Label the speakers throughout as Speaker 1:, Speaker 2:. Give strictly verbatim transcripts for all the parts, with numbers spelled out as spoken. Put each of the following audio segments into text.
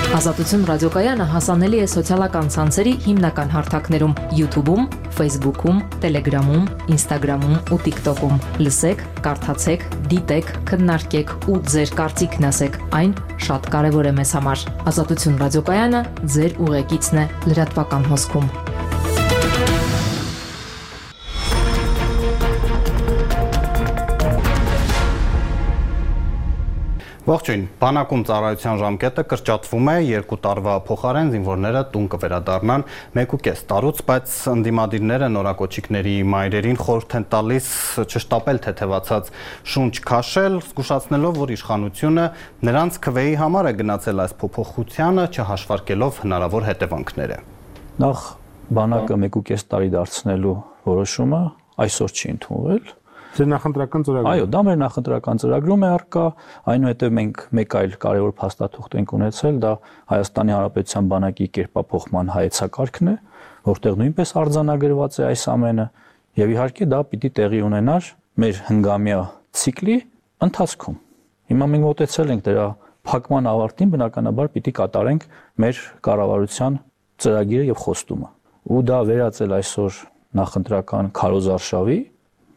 Speaker 1: Ազատություն ռադիոկայանը հասանելի է սոցիալական ցանցերի հիմնական հարթակներում՝ YouTube-ում, Facebook-ում, Telegram-ում, Instagram-ում ու TikTok-ում։ Լսեք, կարդացեք, դիտեք, քննարկեք ու ձեր կարծիքն ասեք։ Այն շատ կարևոր է մեզ համար։ Ազատություն ռադիոկայանը ձեր ուղեկիցն է լրատվական հոսքում։
Speaker 2: Ողջույն, բանակում ծառայության ժամկետը կրճատվում է, երկու տարվա փոխարեն զինվորները տուն կվերադառնան մեկուկես տարուց, բայց ընդդիմադիրները նորակոչիկների մայրերին խորհուրդ են տալիս չշտապել թեթևացած շունչ քաշել, զգուշացնելով, որ իշխանությունը նրանց քվեի համար է գնացել այս փոփոխությանը, չհաշվարկելով հնարավոր հետևանքները։
Speaker 3: Նախ բանակը մեկուկես տարի դարձնելու որոշումը այսօր չի ընդունվել։
Speaker 4: Ձեր նախընտրական ծրագրում։
Speaker 3: Այո, դա մեր նախընտրական ծրագրում է առկա, այնուհետև մենք մեկ այլ կարևոր փաստաթուղթ ենք ունեցել, դա Հայաստանի Հանրապետության բանակի կերպափոխման հայեցակարգն է, որտեղ նույնպես արձանագրված է այս ամենը, եւ իհարկե դա պիտի տեղի ունենար մեր հնգամյա ցիկլի ընթացքում։ Հիմա մենք մոտեցել ենք դրա փակման ավարտին, բնականաբար պիտի կատարենք մեր կառավարության ծրագիրը եւ խոստումը։ Ու դա վերածել այսօր նախընտրական քարոզարշավի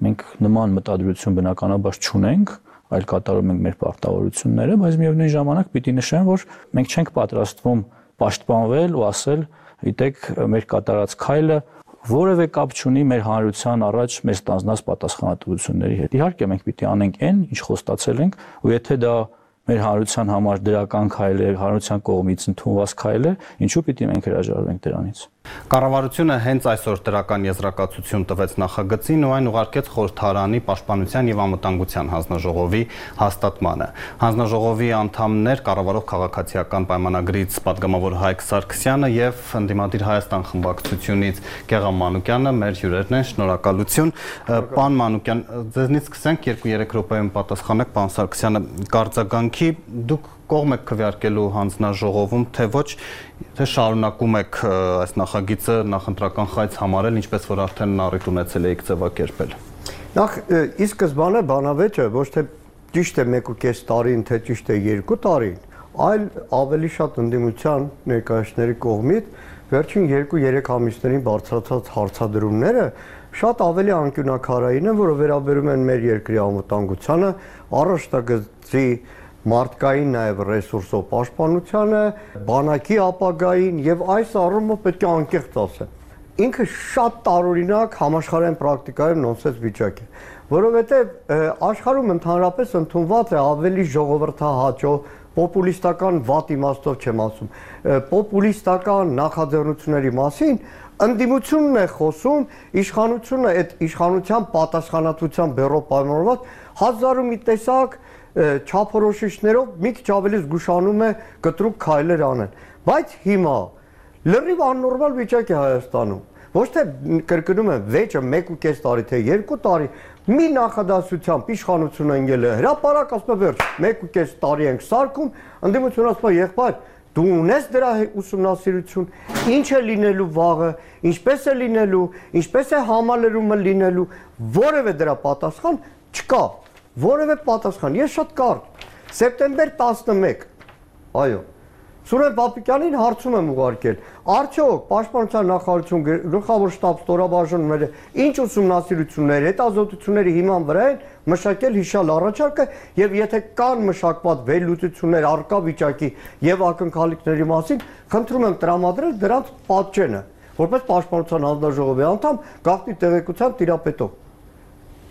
Speaker 3: մենք նման մտադրություն բնականաբար չունենք, այլ կատարում ենք մեր պարտավորությունները, բայց միևնույն ժամանակ պիտի նշեմ, որ մենք չենք պատրաստվում պաշտպանվել ու ասել, գիտեք, մեր կատարած քայլը որևէ կապ չունի մեր հանրության առաջ մեր ստանձնած պատասխանատվությունների հետ։ Իհարկե մենք պիտի անենք այն, ինչ խոստացել ենք, ու եթե դա մեր հանրության համար դրական քայլ է, հանրության կողմից ընդունված քայլ է, ինչու պիտի մենք հրաժարվենք դրանից։
Speaker 2: Կառավարությունը հենց այսօր դրական եզրակացություն տվեց նախագծին ու այն ուղարկեց խորհրդարանի պաշտպանության եւ անվտանգության հանձնաժողովի հաստատմանը։ Հանձնաժողովի անդամներ կառավարող քաղաքացիական պայմանագրից պատգամավոր Հայկ Սարգսյանը եւ ընդդիմադիր Հայաստան խմբակցությունից Գեղամ Մանուկյանը մեր հյուրերն են, շնորհակալություն։ Պարոն Մանուկյան, ձեզնից սկսենք երկու-երեք րոպեում պատասխանեք, պարոն Սարգսյանը, կարձագանքի դուք կողմ եք քվեարկելու հանձնաժողովում, թե ոչ, թե շարունակում եք այս նախագիծը նախընտրական խայծ համարել, ինչպես որ արդեն առիթ ունեցել եք ձևակերպել։
Speaker 5: Նախ ի սկզբանե բանավեճը ոչ թե ճիշտ է մեկուկես տարին, թե ճիշտ է երկու տարին, այլ ավելի շատ ընդդիմության ներկայացների կողմից վերջին երկու-երեք ամիսներին բարձրացած հարցադրումները շատ ավելի անկյունակարային են, որը վերաբերում են մեր երկրի անվտանգությանը, առաջնագծի մարդկային նաև ռեսուրսով պաշտպանությանը, բանակի ապագային եւ այս առումով պետք է անկեղծ ասեմ։ Ինքը շատ տարօրինակ համաշխարհային պրակտիկայում նոնսենս վիճակ է, որովհետեւ աշխարհում ընդհանրապես ընդունված է ավելի ժողովրդահաճո, պոպուլիստական վատ իմաստով չեմ ասում, պոպուլիստական նախաձեռնությունների մասին ընդդիմությունն է խոսում, իշխանությունը այդ իշխանության պատասխանատվության բեռով պայմանավորված հազար ու մի տեսակ չափորոշիչներով մի քիչ ավելի զգուշանում է կտրուկ քայլեր անել, բայց հիմա լրիվ աննորմալ վիճակ է Հայաստանում, ոչ թե կրկնում եմ վեճը մեկուկես տարի, թե երկու տարի, մի նախադասությամբ իշխանությունը ընկել է հրապարակ, ասում է վերջ, մեկուկես տարի ենք սարքում, ընդդիմությունը ասում է եղբայր, դու ունես դրա ուսումնասիրություն, ինչ է լինելու վաղը, ինչպես է լինելու, ինչպես է համալրումը լինելու, որևէ դրա պատասխան չկա։ Որևէ պատասխան, ես շատ կարճ, սեպտեմբեր տասնմեկ, այո, Սուրեն Պապիկյանին հարցում եմ ուղարկել, արդյոք պաշտպանության նախարարություն գլխավոր շտաբ ստորաբաժանումները ինչ ուսումնասիրություններ, հետազոտությունների հիման վրա են մշակել հիշյալ առաջարկը եւ եթե կան մշակված վերլուծություններ առկա վիճակի եւ ակնկալիքների մասին, խնդրում եմ տրամադրել դրանց պատճենը, որպես պաշտպանության հանձնաժողովի անդամ գաղտնի տեղեկության տիրապետող։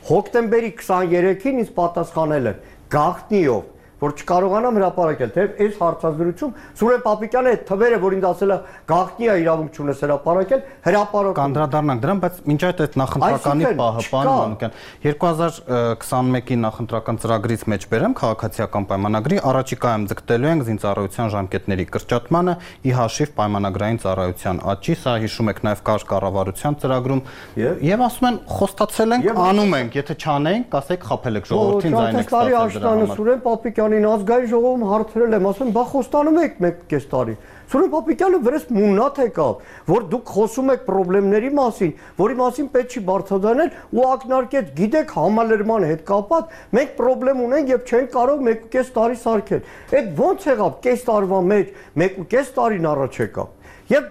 Speaker 5: Հոկտեմբերի քսաներեքին ինձ պատասխանել են գաղտնիով, որ չկարողանամ հրապարակել, թե այս հարցազրույցում Սուրեն Պապիկյանը այդ թվերը, որ ինձ ասել է գաղտնի է իրավունք չունես հրապարակել, հրապարակում։
Speaker 2: Կանդրադառնանք դրան, բայց մինչ այդ այդ նախընտրականի պահը, պարոն Մանուկյան, երկու հազար քսանմեկի նախընտրական ծրագրից մեջ բերեմ քաղաքացիական պայմանագրի, առաջիկայում ձգտելու ենք զինծառայության ժամկետների կրճատմանը, ի հաշիվ պայմանագրային ծառայության աճի, սա հիշում եք նաև կար կառավարության ծրագրում, եւ ասում են խոստացել ենք, անում ենք, եթե չանենք, ասեք խափել եք ժողովրդին, ձայնեք ստացել դրա համար։
Speaker 5: Սուրեն Պապիկյանը Հայաստանին ազգային ժողովում հարցրել եմ, ասում բա խոստանում եք մեկ կես տարի։ Սուրեն Պապիկյանը վրես մուննաթ եկավ, որ դուք խոսում եք խնդիրների մասին, որի մասին պետք չի բարձրաձայնել ու ակնարկեց, գիտեք, համալրման հետ կապված մենք խնդրեմ ունենք եւ չենք կարող մեկ ու կես տարի սարքել։ Այդ ո՞նց եղավ կես տարվա մեջ, մեկ ու կես տարին առաջ եկավ։ Եվ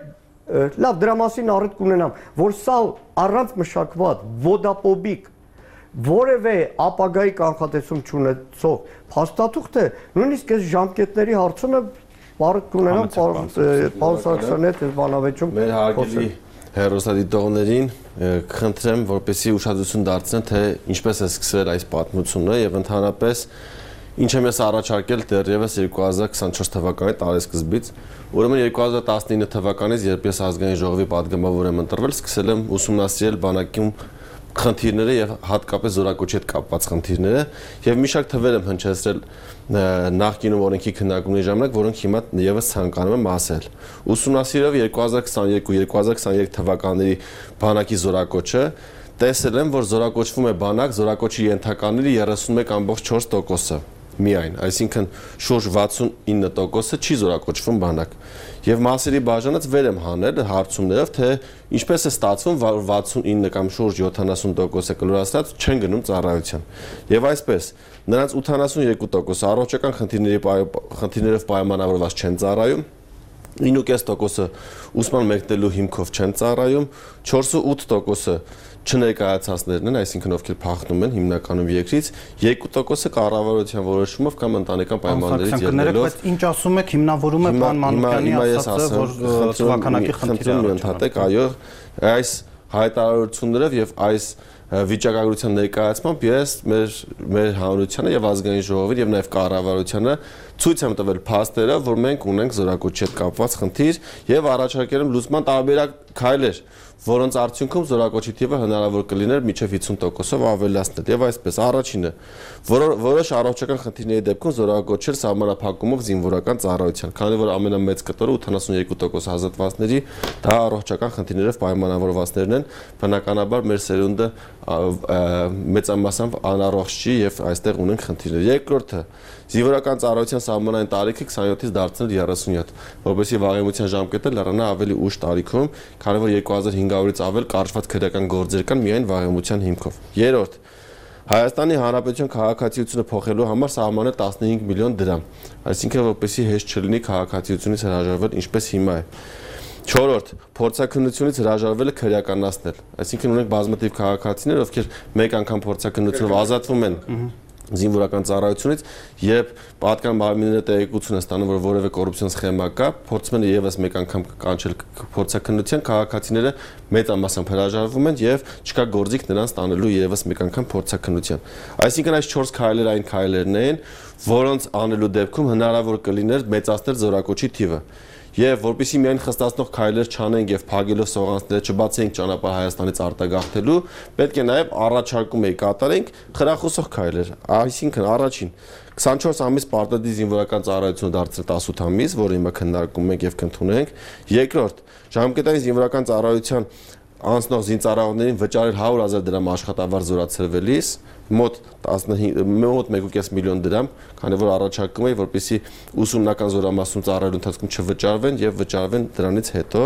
Speaker 5: լավ դրա մասին առիթ կունենամ, որ սա առանց մշակված ոդապոբիկ որևէ ապագայի կանխատեսում չունեցող փաստաթուղթ է, նույնիսկ այս ժամկետների հարցումը առիթ կունենամ Պարոն Սարգսյանի հետ բանավեճում
Speaker 4: մեր հարգելի հեռուստադիտողներին կխնդրեմ, որպեսզի ուշադրություն դարձնեն, թե ինչպես է սկսվել այս պատմությունը եւ ընդհանրապես ինչ եմ ես առաջարկել դեռևս երկու հազար քսանչորս թվականի տարեսկզբից, ուրեմն երկու հազար տասնինը թվականից, երբ ես ազգային ժողովի պատգամավոր եմ ընտրվել, սկսել եմ ուսումնասիրել բանակում խնդիրները եւ հատկապես զորակոչի հետ կապված խնդիրները եւ մի շարք թվեր եմ հնչեցրել նախկինում օրենքի քննարկումների ժամանակ, որոնք հիմա եւս ցանկանում եմ ասել։ Ուսումնասիրելով երկու հազար քսաներկու երկու հազար քսաներեք թվականների բանակի զորակոչը, տեսել եմ, որ զորակոչվում է բանակ, զորակոչի ենթականների երեսունմեկ կόμma չորս տոկոսը միայն, այսինքն շուրջ վաթսունինը տոկոսը չի զորակոչվում բանակ։ Եվ մասերի բաժանած վեր եմ հանել հարցումներով, թե ինչպես է ստացվում, որ վաթսունինը կամ շուրջ յոթանասուն տոկոսը կլորացած չեն գնում ծառայության։ Եվ այսպես, նրանց ութանասունյոթ տոկոսը առողջական խնդիրների խնդիրներով պայմանավորված չեն ծառայում, ինը կես տոկոսը ուսման մեկնելու հիմքով չեն ծառայում, չորսուութ տոկոսը չներկայացածներն են, այսինքն ովքեր փախնում են հիմնականում երկրից, երկու տոկոսը կառավարության որոշումով կամ ընտանեկան պայմաններից ելնելով։
Speaker 2: Բայց ինչ ասում եք, հիմնավորում է պարոն Մանուկյանի ասածը, որ թվականակի խնդիրը
Speaker 4: ընդհատեք, այո, այս հայտարարություններով եւ այս վիճակագրության ներկայացմամբ ես մեր մեր հանրությանը եւ ազգային ժողովին եւ նաեւ կառավարությանը ցույց եմ տվել փաստերը, որ մենք ունենք զորակոչի հետ կապված խնդիր եւ առաջարկել եմ լուծման տարբերակ քայլեր, որոնց արդյունքում զորակոչի թիվը հնարավոր կլիներ մինչև հիսուն տոկոսով ավելացնել։ Եվ այսպես, առաջինը, որոշ առողջական խնդիրների դեպքում զորակոչել սահմանափակումով զինվորական ծառայության, քանի որ ամենամեծ կտորը ութանասունյոթ տոկոս ազատվածների դա առողջական խնդիրներով պայմանավորվածներն են, բնականաբար մեր սերունդը մեծամասամբ անառողջ չի եւ այստեղ ունենք խնդիրներ։ Երկրորդը, զինվորական ծառայության սահմանային տարիքը քսանյոթից դարձնել երեսունյոթ, որովհետեւ վաղեմության ժամկետը լրանա ավելի ուշ տարիքում, քանի որ երկու հազար հինգ հարյուրից ավել կարճված քրեական գործեր կան միայն վաղեմության հիմքով։ Երրորդ, Հայաստանի Հանրապետության քաղաքացիությունը փոխելու համար սահմանել տասնհինգ միլիոն դրամ, այսինքն որպեսզի հեշտ չլինի քաղաքացիությունից հրաժարվել, ինչպես հիմա է։ Չորրորդ, փորձաքննությունից հրաժարվելը քրեականացնել, այսինքն ունենք բազմաթիվ քաղաքացիներ, ովքեր մեկ անգամ փորձաքննությունով ազատվում են զինվորական ծառայությունից, երբ պատկան մարմինները տեղեկություն են ստանում, որ որևէ կոռուպցիոն սխեմա կա, փորձում են եւս մեկ անգամ կանչել փորձաքննության, քաղաքացիները մեծամասամբ հրաժարվում են եւ չկա գործիք նրանց տանելու եւս մեկ անգամ փորձաքննության։ Այսինքն այս չորս քայլերը այն քայլերն են, որոնց անելու դեպքում հնարավոր կլիներ մեծացնել զորակոչի թիվը։ Եվ որպեսզի միայն խստացնող քայլեր չանենք եւ փագելով սողանցները չբացենք ճանապարհ Հայաստանից արտագաղթելու, պետք է նաեւ առաջարկում էի կատարենք խրախուսող քայլեր։ Այսինքն առաջին քսանչորս ամիս պարտադիր զինվորական ծառայությունը դարձնել տասութ ամիս, որը հիմա քննարկում ենք եւ կընդունենք։ Երկրորդ, ժամկետային զինվորական ծառայության անցնող զինծառայողներին վճարել հարյուր հազար դրամ աշխատավարձ զորացրվելիս, մոտ մոտ մեկ ու կես միլիոն դրամ, քանի որ առաջարկում էի, որպեսզի ուսումնական զորամասում ծառայելու ընթացքում չվճարվեն եւ վճարվեն դրանից հետո։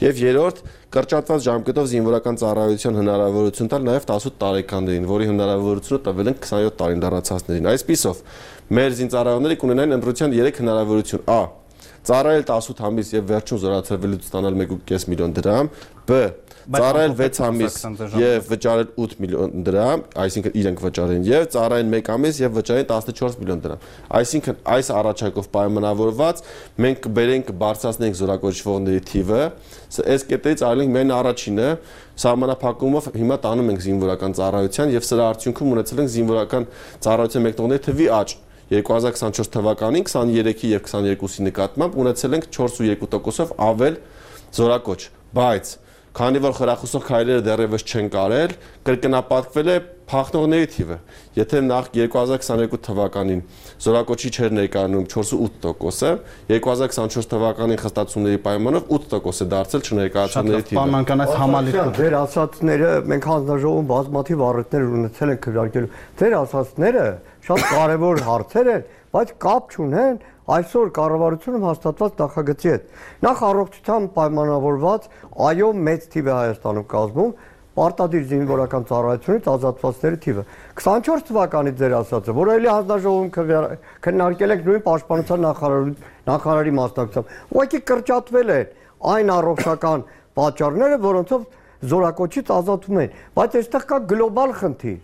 Speaker 4: Եվ երրորդ, կրճատված ժամկետով զինվորական ծառայության հնարավորություն տալ նաեւ տասութ տարեկաններին, որի հնարավորությունը տվել են քսանյոթ տարին դարձածներին։ Այսպիսով, մեր զինծառայողները կունենային ընտրության երեք հնարավորություն. Ա. Ծառայել տասութ ամիս եւ վերջում զորացրվելուց ստանալ մեկ ու կես միլիոն դրամ, Բ. Ծառայել վեց ամիս եւ վճարել ութ միլիոն դրամ, այսինքն իրենք վճարեն եւ ծառայեն մեկ ամիս եւ վճարեն տասնչորս միլիոն դրամ։ Այսինքն այս առաջարկով պայմանավորված մենք կբերենք բարձրացնենք զորակոչվողների թիվը, այս կետերից այլենք միայն առաջինը սահմանափակումով հիմա տանում ենք զինվորական ծառայության եւ սրա արդյունքում ունեցել ենք զինվորական ծառայության մեկնողների թվի աճ։ երկու հազար քսանչորս թվականին քսաներեքի եւ քսաներկուսի նկատմամբ ունեցել ենք չորսուերկու տոկոսով ավել զորակոչ, բայց քանի որ խրախուսող քայլերը դեռևս չեն կարել, կրկնապատկվել է փախնողների թիվը։ Եթե նախ երկու հազար քսաներկու թվականին զորակոչի չէր ներկայանում չորսուութ տոկոսը, երկու հազար քսանչորս թվականին խստացումների պայմանով ութ տոկոս է դարձել չներկայացնողների թիվը։
Speaker 2: Պարոն այս համալիրը
Speaker 5: ձեր ասածները մենք հանձնաժողովում բազմաթիվ առիթներ ունեցել ենք քննարկելու։ Ձեր ասածները շատ կարևոր հարցեր են, բայց կապ չունեն այսօր կառավարությունում հաստատված նախագծի հետ։ Նախ առողջության պայմանավորված այո մեծ թիվ է Հայաստանում կազմում պարտադիր զինվորական ծառայությունից ազատվածների թիվը։ քսանչորս թվականից ձեր ասածը, որ էլի հանձնաժողովում քննարկել ենք նույն պաշտպանության նախարարի մասնակցությամբ, ուղղակի կրճատվել են այն առողջական պատճառները, որոնցով զորակոչից ազատում են, բայց այստեղ կա գլոբալ խնդիր։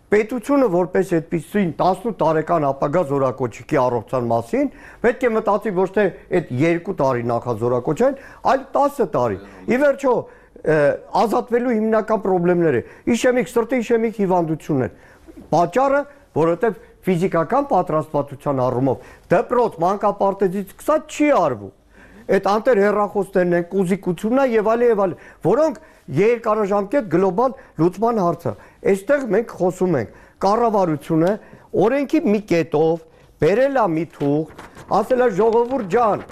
Speaker 5: Պետությունը որպես այդպիսին տասնութ տարեկան ապագա զորակոչիկի առողջության մասին պետք է մտածի ոչ թե այդ երկու տարի նախազորակոչային, այլ տասը տարի։ Ի վերջո ազատվելու հիմնական խնդիրները իշեմիկ սրտի իշեմիկ հիվանդություններ։ Պատճառը, որովհետև ֆիզիկական պատրաստվածության առումով դպրոց մանկապարտեզից սկսած չի արվում։ Այդ անտեր հեռախոսներն են, կուզիկությունն է եւ այլն եւ այլն, որոնք երկարաժամկետ գլոբալ լուծման հարց է։ Այստեղ մենք խոսում ենք կառավարությունը օրենքի մի կետով բերել է մի թուղթ, ասել է ժողովուրդ ջան,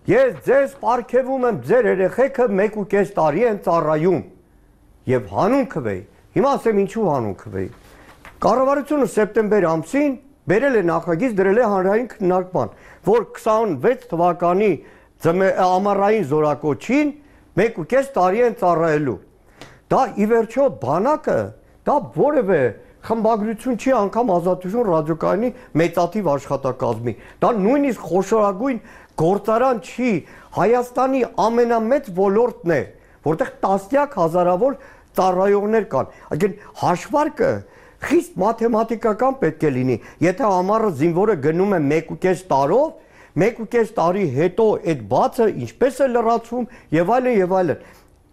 Speaker 5: ես ձեզ պարգևում եմ ձեր երեխեքը մեկ ու կես տարի են ծառայում եւ հանուն քվեի։ Հիմա ասեմ ինչու հանուն քվեի։ Կառավարությունը սեպտեմբեր ամսին բերել է նախագիծ, դրել է հանրային քննարկման, որ քսանվեց թվականի ամառային զորակոչին մեկ ու կես տարի են ծառայելու։ Դա ի վերջո բանակը, դա որևէ խմբագրություն չի, անգամ Ազատություն ռադիոկայանի մեծաթիվ աշխատակազմի։ Դա նույնիսկ խոշորագույն գործարան չի, Հայաստանի ամենամեծ ոլորտն է, որտեղ տասնյակ հազարավոր ծառայողներ կան։ Այսինքն հաշվարկը խիստ մաթեմատիկական պետք է լինի։ Եթե ամառը զինվորը գնում է մեկ ու կես տարով, մեկ ու կես տարի հետո այդ բացը ինչպես է լրացվում եւ այլն եւ այլն։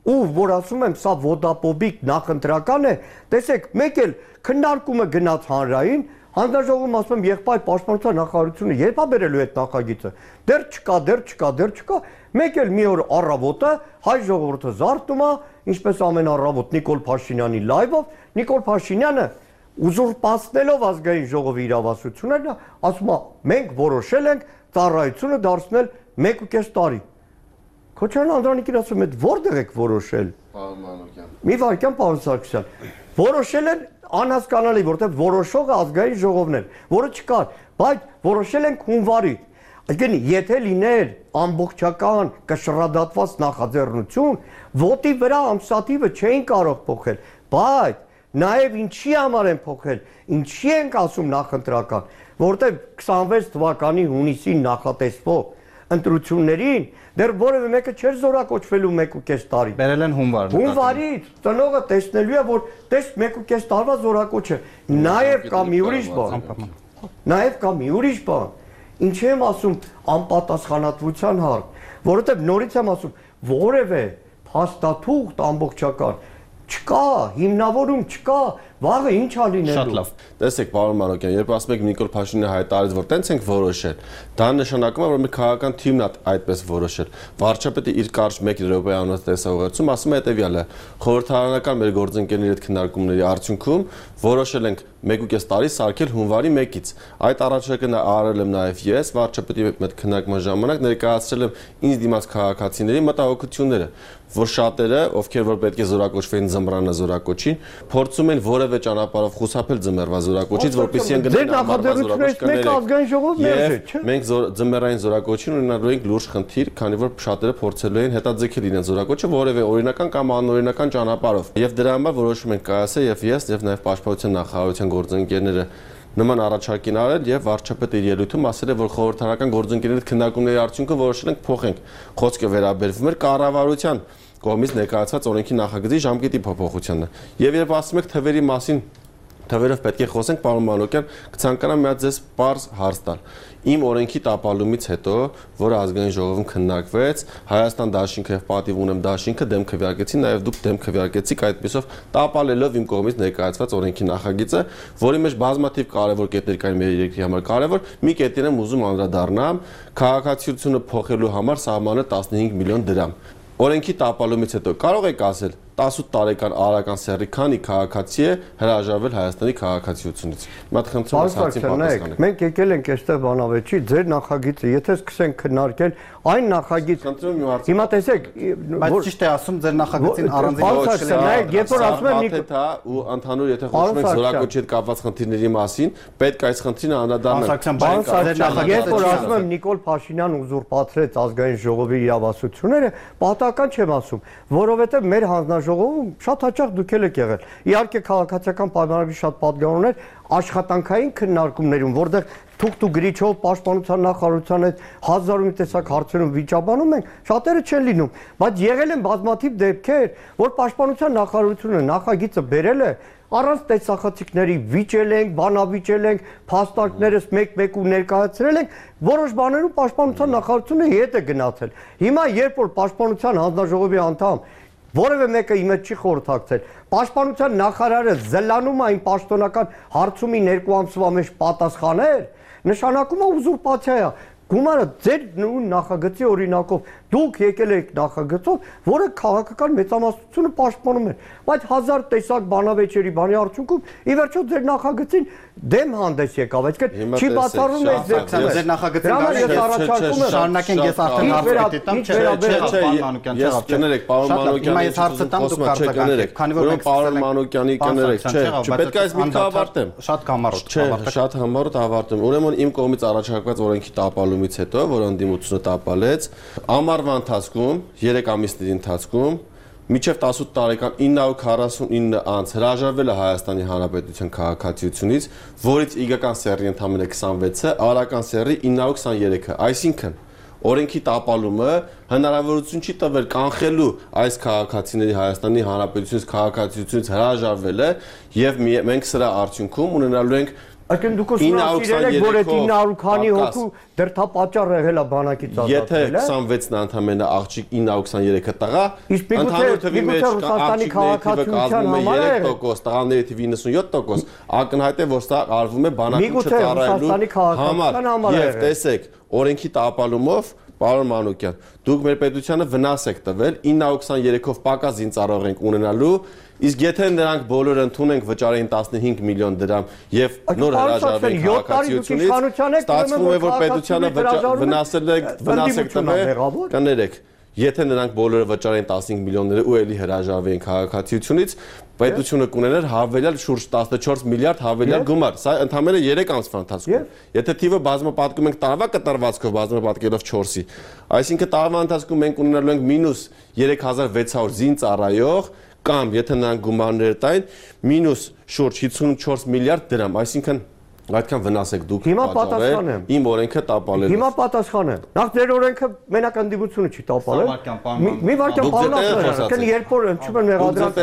Speaker 5: Ու որ ասում եմ, սա ոդապոբիկ նախընտրական է, տեսեք, մեկ էլ քննարկումը գնաց հանրային, հանձնաժողովում ասում եմ եղբայր պաշտպանության նախարարությունը երբ է բերելու այդ նախագիծը։ Դեռ չկա, դեռ չկա, դեռ չկա։ Մեկ էլ մի օր առավոտը հայ ժողովուրդը զարթնում է, ինչպես ամեն առավոտ Նիկոլ Փաշինյանի լայվով, Նիկոլ Փաշինյանը ուզուրպացնելով ազգային ժողովի իրավասությունները, ասում է, մենք որոշել ենք ծառայությունը դարձնել մեկ ու կես տարի։ Քոչարյան Անդրանիկին ասում եմ, որտեղ եք որոշել։
Speaker 4: Պարոն Մանուկյան։
Speaker 5: Մի վարքյան պարոն Սարգսյան։ Որոշել են անհասկանալի, որտեղ որոշողը ազգային ժողովն էր, որը չկար, բայց որոշել են հունվարի։ Այսինքն, եթե լիներ ամբողջական կշռադատված նախաձեռնություն, ոտի վրա ամսաթիվը չէին կարող փոխել, բայց նաև ինչի համար են փոխել, ինչի ենք ասում նախընտրական, որտեղ քսանվեց թվականի հունիսին նախատեսվող ընտրություններին դեռ որևէ մեկը չէր զորակոչվելու մեկ ու կես տարի։
Speaker 2: Բերել են հունվար։
Speaker 5: Հունվարից ծնողը տեսնելու է, որ տես մեկ ու կես տարվա զորակոչը։ Նաև կա մի ուրիշ բան։ Նաև կա մի ուրիշ բան։ Ինչի եմ ասում անպատասխանատվության հարկ, որովհետև նորից եմ ասում, որևէ փաստաթուղթ ամբողջական չկա, հիմնավորում չկա, վաղը ինչ է լինելու։
Speaker 2: Շատ լավ։
Speaker 4: Տեսեք, պարոն Մանուկյան, երբ ասում եք Նիկոլ Փաշինյանը հայտարարեց, որ տենց ենք որոշել, դա նշանակում է, որ մեր քաղաքական թիմն է այդպես որոշել։ Վարչապետը իր կարճ մեկ րոպեանոց տեսահողերցում ասում է հետևյալը. խորհրդարանական մեր գործընկերների հետ քննարկումների արդյունքում որոշել ենք մեկ ու կես տարի սարքել հունվարի մեկից։ Այդ առաջարկը արել եմ նաև ես, վարչապետի հետ քննարկման ժամանակ ներկայացրել եմ ինձ դիմաց քաղաքացիների մտահոգությունները, որ շատերը, ովքեր որ պետք է զորակոչվեն ձմռանը զորակոչին, փորձում են որևէ ճանապարհով խուսափել ձմեռվա զորակոչից, որպեսզի ընկնեն ամառվա զորակոչի։ Մենք ձմեռային զորակոչին ունենալու ենք լուրջ խնդիր, քանի որ շատերը փորձելու են հետաձգել իրենց զորակոչը որևէ օրինական կամ անօրինական ճանապարհով։ Եվ դրա համար որոշում ենք կայացել եւ ես եւ նաեւ պաշտպանության նախարարության գործընկերները նման առաջարկին արել եւ վարչապետը իր ելույթում ասել է, որ խորհրդարանական գործընկերների հետ քննարկումների արդյունքում որոշել ենք փոխենք։ Խոսքը վերաբերվում էր կառավարության կողմից ներկայացված օրենքի նախագծի ժամկետի փոփոխությանը։ Եվ երբ ասում եք թվերի մասին, թվերով պետք է խոսենք, պարոն Մանուկյան, կցանկանամ մի հատ ձեզ պարզ հարց տալ։ Իմ օրենքի տապալումից հետո, որը ազգային ժողովում քննարկվեց, Հայաստան դաշինքը եւ պատիվ ունեմ դաշինքը դեմ քվեարկեցին, նաեւ դուք դեմ քվեարկեցիք այդպեսով տապալելով իմ կողմից ներկայացված օրենքի նախագիծը, որի մեջ բազմաթիվ կարևոր կետեր կային մեր երկրի համար կարևոր, մի կետին եմ ուզում անդրադառնամ, քաղաքացիությունը փոխելու համար սահմանը տասնհինգ միլիոն դրամ։ Օրենքի տապալումից հետո կարող եք ասել, տասութ տարեկան արական սեռի քանի քաղաքացի է հրաժարվել Հայաստանի քաղաքացիությունից։ Մատ խնդրում եմ հարցին պատասխանեք։
Speaker 5: Մենք եկել ենք այստեղ բանավեճի ձեր նախագիծը, եթե սկսենք քննարկել այն նախագիծ, հիմա տեսեք,
Speaker 2: բայց ճիշտ է ասում ձեր նախագծին
Speaker 5: առանձին երբ որ ասում եմ
Speaker 4: Նիկոլ ու ընդհանուր եթե խոսում ենք զորակոչի հետ կապված խնդիրների մասին, պետք է այս խնդիրը անդրադառնալ։
Speaker 5: Երբ որ ասում եմ Նիկոլ Փաշինյան ուզուրպացրեց ազգային ժողովի իրավասությունները, պատահական չեմ ասում, որովհետև մեր հանձնաժողովում շատ հաճախ դուք եք եղել։ Իհարկե քաղաքացիական պայմանագրի շատ պատգամներ աշխատանքային քննարկումներում, որտեղ թուղթ ու գրիչով պաշտպանության նախարարության հետ հազար ու մի տեսակ հարցերում վիճաբանում ենք, շատերը չեն լինում, բայց եղել են բազմաթիվ դեպքեր, որ պաշտպանության նախարարությունը նախագիծը բերել է, առանց տեսախցիկների վիճել ենք, բանավիճել ենք, փաստարկներս մեկ-մեկ ու ներկայացրել ենք, որոշ բաներում պաշտպանության նախարարությունը հետ է գնացել։ Հիմա երբ որ պաշտպանության հանձնաժողովի անդամ որևէ մեկը իմ հետ չի խորհրդակցել, պաշտպանության նախարարը զլանում այն պաշտոնական հարցումի երկու ամսվա մեջ պատասխաներ, նշանակում է ուզուրպացիա է։ Գումարը ձեր նախագծի օրինակով դուք եկել եք նախագծով, որը քաղաքական մեծամասնությունը պաշտպանում է, բայց հազար տեսակ բանավեճերի բանի արդյունքում ի վերջո ձեր նախագծին դեմ հանդես եկավ, այսինքն չի բացառում է
Speaker 2: ձեր նախագծին առաջարկում շարունակենք, ես արդեն հարցի տամ, չէ,
Speaker 4: պարոն Մանուկյանի կներեք, չէ, չպետք է այս միտքը ավարտեմ,
Speaker 2: շատ կամառոտ,
Speaker 4: չէ, շատ համառոտ ավարտեմ, ուրեմն իմ կողմից առաջարկված օրենքի տապալումից հետո, որ ընդդիմությունը տապալեց, ամառվա ընթացքում, երեք ամիսների ընթացքում մինչև տասութ տարեկան ինը հարյուր քառասունինը անց հրաժարվել է Հայաստանի Հանրապետության քաղաքացիությունից, որից իգական սեռի ընդամենը քսանվեցը, արական սեռի ինը հարյուր քսաներեքը, այսինքն օրենքի տապալումը հնարավորություն չի տվել կանխելու այս քաղաքացիների Հայաստանի Հանրապետությունից քաղաքացիությունից հրաժարվելը եւ մենք սրա արդյունքում ունենալու ենք
Speaker 5: Այսինքն դուք ուսումնասիրել եք, որ այդ ինը հարյուր քանի հոգու դրդապատճառ եղել է բանակից ազատվել,
Speaker 4: եթե քսանվեցն ընդամենը աղջիկ ինը հարյուր քսաներեքը տղա,
Speaker 5: ընդհանուր թվի մեջ
Speaker 4: Ռուսաստանի քաղաքացիության համար է երեք տոկոս, տղաների թիվը իննսունյոթ տոկոս, ակնհայտ է, որ սա արվում է բանակին չծառայելու համար, եւ տեսեք, օրենքի տապալումով Պարոն Մանուկյան, դուք մեր պետությանը վնաս եք տվել, ինը հարյուր քսաներեքով պակաս զինծառայող ենք ունենալու, իսկ եթե նրանք բոլորը ընդունենք վճարեին տասնհինգ միլիոն դրամ եւ նոր հրաժարվեն քաղաքացիությունից, ստացվում է, որ պետությանը վնասել եք, վնաս եք տվել, կներեք, եթե նրանք բոլորը վճարեին տասնհինգ միլիոնները ու էլի հրաժարվեին քաղաքացիությունից, պետությունը կունենար հավելյալ շուրջ տասնչորս միլիարդ հավելյալ գումար, սա ընդամենը երեք ամսվա ընթացքում։ Եթե թիվը բազմապատկում ենք տարվա կտրվածքով, բազմապատկելով չորսի, այսինքն տարվա ընթացքում մենք ունենալու ենք մինուս երեք հազար վեց հարյուր զինծառայող կամ եթե նրանք գումարներ տային, մինուս շուրջ հիսունչորս միլիարդ դրամ, այսինքն այդքան վնաս եք դուք պատճառել իմ օրենքը տապալել։
Speaker 5: Հիմա պատասխան եմ։ Նախ ձեր օրենքը մենակ ընդդիմությունը չի տապալել։ Մի վարքյան պարոն, կն երբ որ ընչում են մեղադրած։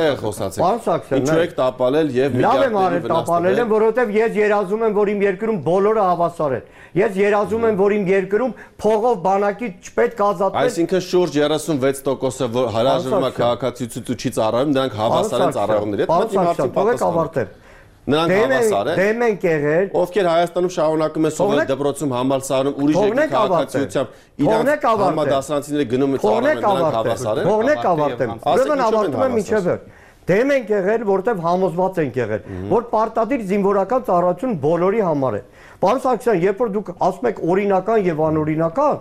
Speaker 5: Պարոն Սաքսյան,
Speaker 4: ինչու եք տապալել եւ
Speaker 5: լավ եմ արել տապալել եմ, որովհետեւ ես երազում եմ, որ իմ երկրում բոլորը հավասար են։ Ես երազում եմ, որ իմ երկրում փողով բանակի չպետք ազատվել։
Speaker 4: Այսինքն շուրջ երեսունվեց տոկոսը որ հրաժարվում է քաղաքացիությունից ու չի ծառայում, նրանք հավասար են ծառայողների հետ։
Speaker 5: Պարոն Սաքսյան, թողեք ավարտեմ։
Speaker 4: Նրանք հավասար են։
Speaker 5: Դեմ են եղել։
Speaker 4: Ովքեր Հայաստանում շարունակում են սովորել դպրոցում համալսարանում ուրիշ երկրի քաղաքացիությամբ, իրանք համադասարանցիները գնում են ծառայում, նրանք հավասար են։
Speaker 5: Թողնեք ավարտեմ։ Ուրեմն ավարտում եմ մինչև վերջ։ Դեմ են եղել, որտեղ համոզված են եղել, որ պարտադիր զինվորական ծառայություն բոլորի համար է։ Պարոն Սարգսյան, երբ որ դուք ասում եք օրինական եւ անօրինական,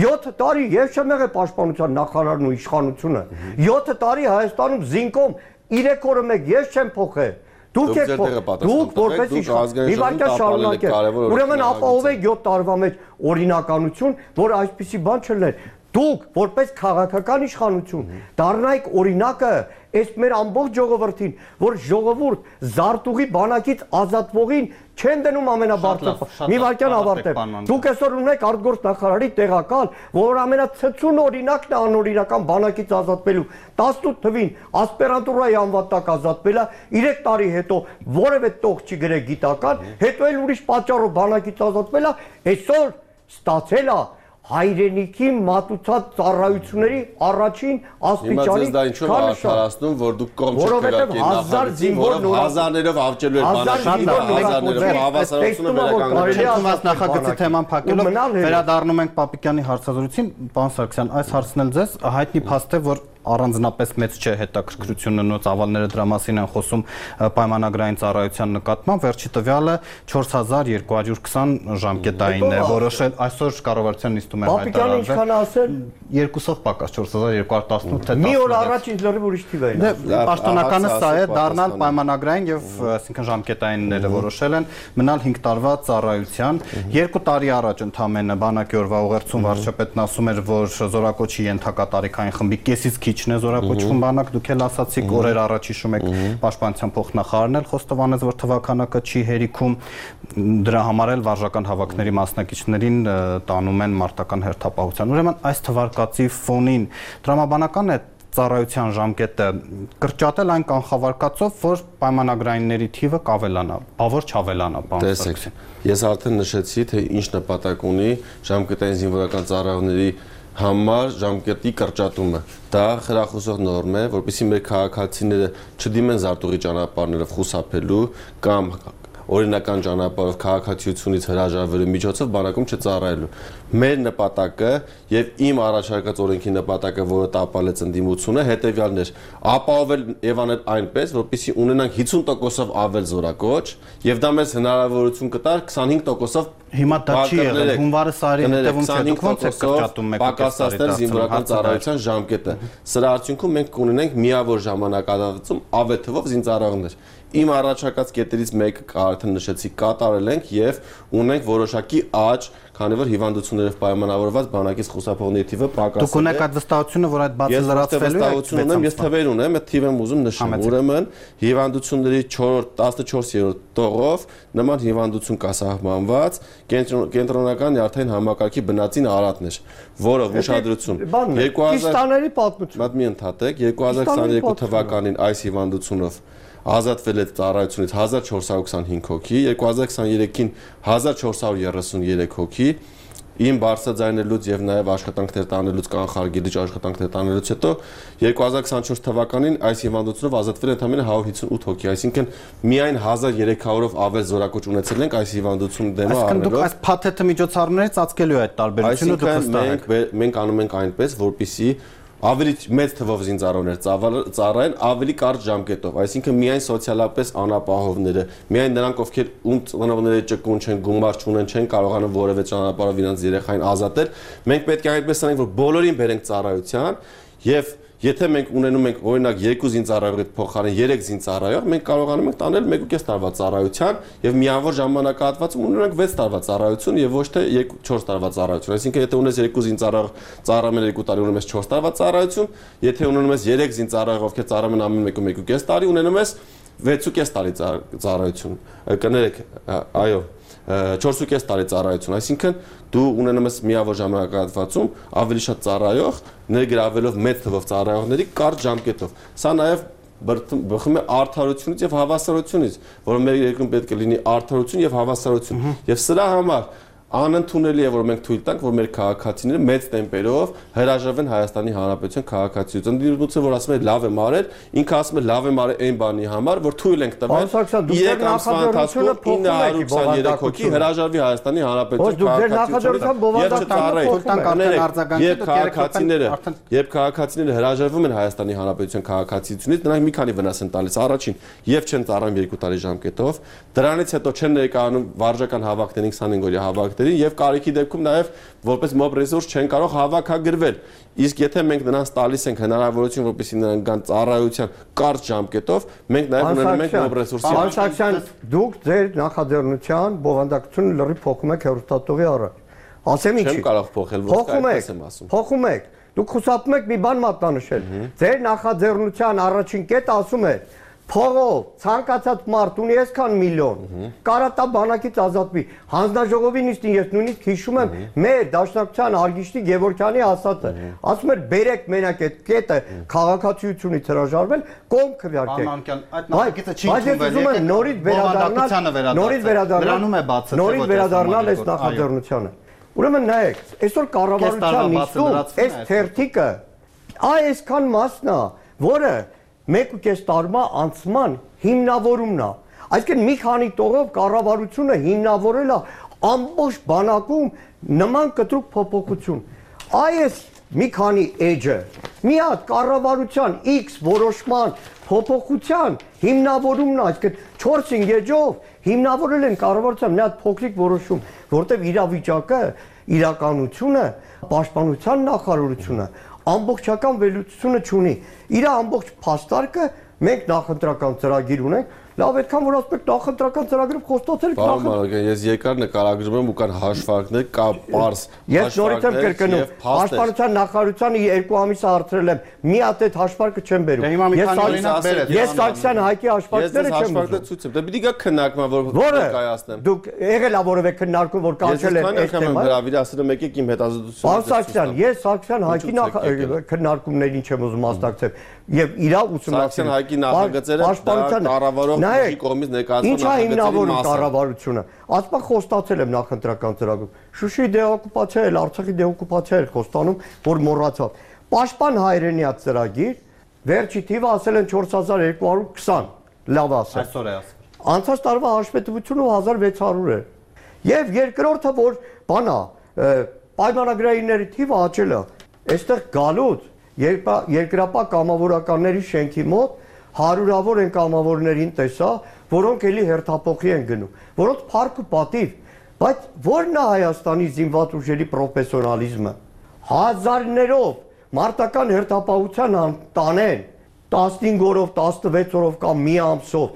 Speaker 5: յոթ տարի ես չեմ եղել պաշտպանության նախարարն ու իշխանությունը։ յոթ տարի Հայաստանում զինկոմ երեք օրը մեկ ես չեմ փոխել։ Դուք եք դուք որպես իշխան մի վարքյան շարունակեք։ Ուրեմն ապահովեք յոթ տարվա մեջ օրինականություն, որ այսպիսի բան չլներ։ Դուք որպես քաղաքական իշխանություն դառնայիք օրինակը այս մեր ամբողջ ժողովրդին, որ ժողովուրդ զարտուղի բանակից ազատվողին չեն դնում ամենաբարձր։ Մի վարքյան ավարտեմ։ Դուք այսօր ունեք արտգործ նախարարի տեղակալ, որ ամենացցուն օրինակն է անօրինական բանակից ազատվելու։ տասնութ թվին ասպիրանտուրայի անվատակ ազատվել է, երեք տարի հետո որևէ տող չի գրել գիտական, հետո էլ ուրիշ պատճառով բանակից ազատվել է, այսօր ստացել է հայրենիքի մատուցած ծառայությունների առաջին աստիճանի
Speaker 4: քարոշում, որ դուք կողմ չկրակեք նախագծին, որով հազարներով ավճելու եք բանակի, հազարներով հավասարությունը վերականգնելու։
Speaker 2: Նախագծի թեման փակելով վերադառնում ենք Պապիկյանի հարցազրույցին, պարոն Սարգսյան, այս հարցն էլ ձեզ հայտնի փաստ է, որ առանձնապես մեծ չէ հետաքրքրությունը նո ծավալները դրա մասին են խոսում պայմանագրային ծառայության նկատմամբ, վերջի տվյալը չորս հազար երկու հարյուր քսան ժամկետային է որոշել, այսօր կառավարության նիստում է
Speaker 5: հայտարարվել։ Պապիկյանը ինչքան ասել,
Speaker 2: երկուսով պակաս չորս հազար երկու հարյուր տասնութ թե
Speaker 5: մի օր առաջ ինձ լրիվ ուրիշ թիվ էին։
Speaker 2: Պաշտոնականը սա է, դառնալ պայմանագրային եւ այսինքն ժամկետայինները որոշել են մնալ հինգ տարվա ծառայության։ Երկու տարի առաջ ընդամենը բանակի օրվա ուղերձում վարչապետն ասում էր, որ զորակոչի ենթակա տարիքային խմբի կեսից քիչն է զորակոչվում բանակ, դուք էլ ասացիք օրեր առաջ հիշում եք պաշտպանության փոխնախարարն էլ խոստովանեց, որ թվականակը չի հերիքում, դրա համար էլ վարժական հավաքների մասնակիցներին տանում են մարտական հերթապահության։ Ուրեմն այս թվարկածի ֆոնին տրամաբանական է ծառայության ժամկետը կրճատել այն կանխավարկածով, որ պայմանագրայինների թիվը կավելանա, բավոր չավելանա, պարոն Սարգսյան։
Speaker 4: Ես արդեն նշեցի, թե ինչ նպատակ ունի ժամկետային զինվորական ծառայողների համար ժամկետի կրճատումը։ Դա խրախուսող նորմ է, որպեսզի մեր քաղաքացիները չդիմեն զարտուղի ճանապարհներով խուսափելու կամ օրինական ճանապարհով քաղաքացիությունից հրաժարվելու միջոցով բանակում չծառայելու։ Մեր նպատակը եւ իմ առաջարկած օրենքի նպատակը, որը տապալեց ընդդիմությունը, հետեւյալն էր՝ ապահովել եւ անել այնպես, որպեսզի ունենանք հիսուն տոկոսով ավել զորակոչ, եւ դա մեզ հնարավորություն կտար քսանհինգ տոկոսով
Speaker 2: հիմա դա չի եղել, հունվարը սարի հետևում չէ, դուք ոնց եք կրճատում եք
Speaker 4: պակասացնել զինվորական ծառայության ժամկետը։ Սրա արդյունքում մենք կունենենք միավոր ժամանակահատվածում ավել թվով զինծառայողներ։ Իմ առաջարկած կետերից մեկը արդեն նշեցի, կատարել ենք եւ ունենք որոշակի աճ, քանի որ հիվանդություններով պայմանավորված բանակից խուսափողների թիվը պակասել է։
Speaker 2: Դուք ունեք այդ վստահությունը, որ այդ բացը լրացվելու է։
Speaker 4: Ես թվեր ունեմ, այդ թիվ եմ ուզում նշեմ։ Ուրեմն հիվանդությունների տասնչորսերորդ տողով նման հիվանդություն կա սահմանված կենտրոնական նյարդային համակարգի բնածին արատներ, որը ուշադրություն
Speaker 5: երկու հազար քիստաների պատմություն։
Speaker 4: Մատ մի ընդհատեք, երկու հազար քսաներկու թվականին այս հիվանդությունով ազատվել է ծառայությունից հազար չորս հարյուր քսանհինգ հոգի, երկու հազար քսաներեքին հազար չորս հարյուր երեսուներեք հոգի, իմ բարձրաձայնելուց եւ նաեւ աշխատանքներ տանելուց կանխարգելիչ աշխատանքներ տանելուց հետո երկու հազար քսանչորս թվականին այս հիվանդությունով ազատվել է ընդամենը հարյուր հիսունութ հոգի, այսինքն միայն հազար երեք հարյուրով ավել զորակոչ ունեցել ենք այս հիվանդությունը դեմը առնելով։
Speaker 2: Այսինքն դուք այս փաթեթը միջոցառումներից ծածկելու է այդ տարբերությունը, դուք վստահ եք։
Speaker 4: Մենք անում ենք այնպես, որպեսզի ավելի մեծ թվով զինծառայողներ ծառայեն ավելի կարճ ժամկետով, այսինքն միայն սոցիալապես անապահովները, միայն նրանք, ովքեր ում ծնողները ճկուն չեն, գումար չունեն, չեն կարողանում որևէ ճանապարհով իրենց երեխային ազատել, մենք պետք է այդպես անենք, որ բոլորին բերենք ծառայության եւ եթե մենք ունենում ենք օրինակ երկու զինծառայողի փոխարեն երեք զինծառայող, մենք կարողանում ենք տանել մեկ ու կես տարվա ծառայության եւ միավոր ժամանակահատվածում ունենանք վեց տարվա ծառայություն եւ ոչ թե չորս տարվա ծառայություն։ Այսինքն եթե ունես երկու զինծառայող ծառայում են երկու տարի, ունում ես չորս տարվա ծառայություն, եթե ունենում ես երեք զինծառայող, ովքեր ծառայում են ամեն մեկ ու մեկ ու կես տարի, ունենում ես վեց ու կես տարի ծառայություն։ Կներեք, այո, չորս ու կես տարի ծառայություն, այսինքն դու ունենում ես միավոր ժամանակահատվածում ավելի շատ ծառայող, ներգրավելով մեծ թվով ծառայողների կարճ ժամկետով։ Սա նաև բխում է արդարությունից եւ հավասարությունից, որ մեր երկրում պետք է լինի արդարություն եւ հավասարություն։ Եվ սրա համար անընդունելի է, որ մենք թույլ տանք, որ մեր քաղաքացիները մեծ տեմպերով հրաժարվեն Հայաստանի Հանրապետության քաղաքացիությունից։ Ընդդիմությունը, որ ասում է լավ եմ արել, ինքը ասում է լավ եմ արել այն բանի համար, որ թույլ ենք տվել երեք ամսվա ընթացքում ինը հարյուր քսաներեք հոգի հրաժարվի Հայաստանի Հանրապետության քաղաքացիությունից։ Եվ քաղաքացիները հրաժարվում են Հայաստանի Հանրապետության քաղաքացիությունից, նրանք մի քանի վնաս են տալիս։ Առաջին, եւ չեն ծառայում երկու տարի ժամկետով, դրանից հետո չեն ներկայանում վարժական հավաքներին քսանհինգ օրյա հավաքներին եւ կարիքի դեպքում նաեւ որպես մոբ ռեսուրս չեն կարող հավաքագրվել։ Իսկ եթե մենք նրանց տալիս ենք հնարավորություն, որպեսզի նրանք գան ծառայության կարճ ժամկետով, մենք նաեւ ունենում ենք մոբ ռեսուրսի։
Speaker 5: Պարոն Սարգսյան, դուք ձեր նախաձեռնության բովանդակությունը լրիվ փոխում եք հեռուստատողի առաջ։ Ասեմ ինչի։
Speaker 4: Չեմ կարող փոխել, ոչ այդպես եմ ասում։
Speaker 5: Փոխում եք։ Դուք խուսափում եք մի բան մատնանշել։ Ձեր նախաձեռնության առաջին կետը ասում է փողով ցանկացած մարդ ունի այսքան միլիոն, կարա տա բանակից ազատվի։ Հանձնաժողովի նիստին ես նույնիսկ հիշում եմ մեր Դաշնակցության Արգիշտի Գևորգյանի ասածը, ասում էր բերեք մենակ այդ կետը քաղաքացիությունից հրաժարվել, կողմ քվեարկեք։ Բայց ես ուզում եմ նորից վերադառնալ, նորից վերադառնալ, նորից վերադառնալ այս նախաձեռնությանը։ Ուրեմն նայեք, այսօր կառավարության նիստում այս թերթիկը այ այսքան մասն է, որը մեկ ու կես տարվա անցման հիմնավորումն է։ Այսինքն մի քանի տողով կառավարությունը հիմնավորել է ամբողջ բանակում նման կտրուկ փոփոխություն։ Այս մի քանի էջը մի հատ կառավարության X որոշման փոփոխության հիմնավորումն է, այսինքն չորս-հինգ էջով հիմնավորել են կառավարության մի հատ փոքրիկ որոշում, որտեղ իրավիճակը, իրականությունը, պաշտպանության նախարարությունը ամբողջական վերլուծությունը չունի։ Իր ամբողջ փաստարկը մենք նախընտրական ծրագիր ունենք, լավ այդքան որ ասում եք նախընտրական ծրագրով խոստացել եք
Speaker 4: նախ Պարոն ես երկար նկարագրում եմ ու կան հաշվարկներ, կա պարզ
Speaker 5: ես նորից եմ կրկնում պաշտպանության նախարարությանը երկու ամիս արդրել եմ մի հատ այդ հաշվարկը չեմ բերում ես Սարգսյան Հայկի հաշվարկները չեմ
Speaker 4: ուզում դա պիտի գա քննարկման որ կայացնեմ
Speaker 5: դուք եղել ա որևէ քննարկում որ կանչել եք այս թեման
Speaker 4: հրավիրի ասել եմ եկեք իմ հետազոտությունը
Speaker 5: Սարգսյան ես Սարգսյան Հայկի քննարկումներին չեմ ուզում մասնակցել եւ իրա ուսումնասիրել
Speaker 4: Սարգսյան Հայկի նախագծերը կառավարող ուժի կողմից ներկայացված
Speaker 5: նախագծերի կառավարությունը ասպա խոստացել եմ նախընտրական ծրագրում Շուշի դեօկուպացիա էլ Արցախի դեօկուպացիա էլ խոստանում որ մոռացավ Պաշտպան հայրենիա ծրագիր վերջի թիվը ասել են չորս հազար երկու հարյուր քսան լավ ասել
Speaker 2: այսօր է ասել
Speaker 5: անցած տարվա հաշվետվությունը հազար վեց հարյուր է եւ երկրորդը որ բանա պայմանագրայինների թիվը աճել է այստեղ գալուց երկրապահ կամավորականների շենքի մոտ հարյուրավոր են կամավորներին տեսա, որոնք էլի հերթափոխի են գնում, որոնց փառք ու պատիվ, բայց ո՞րն է Հայաստանի զինված ուժերի պրոֆեսիոնալիզմը։ Հազարներով մարտական հերթապահության տանեն տասնհինգ օրով, տասնվեց օրով կամ մի ամսով,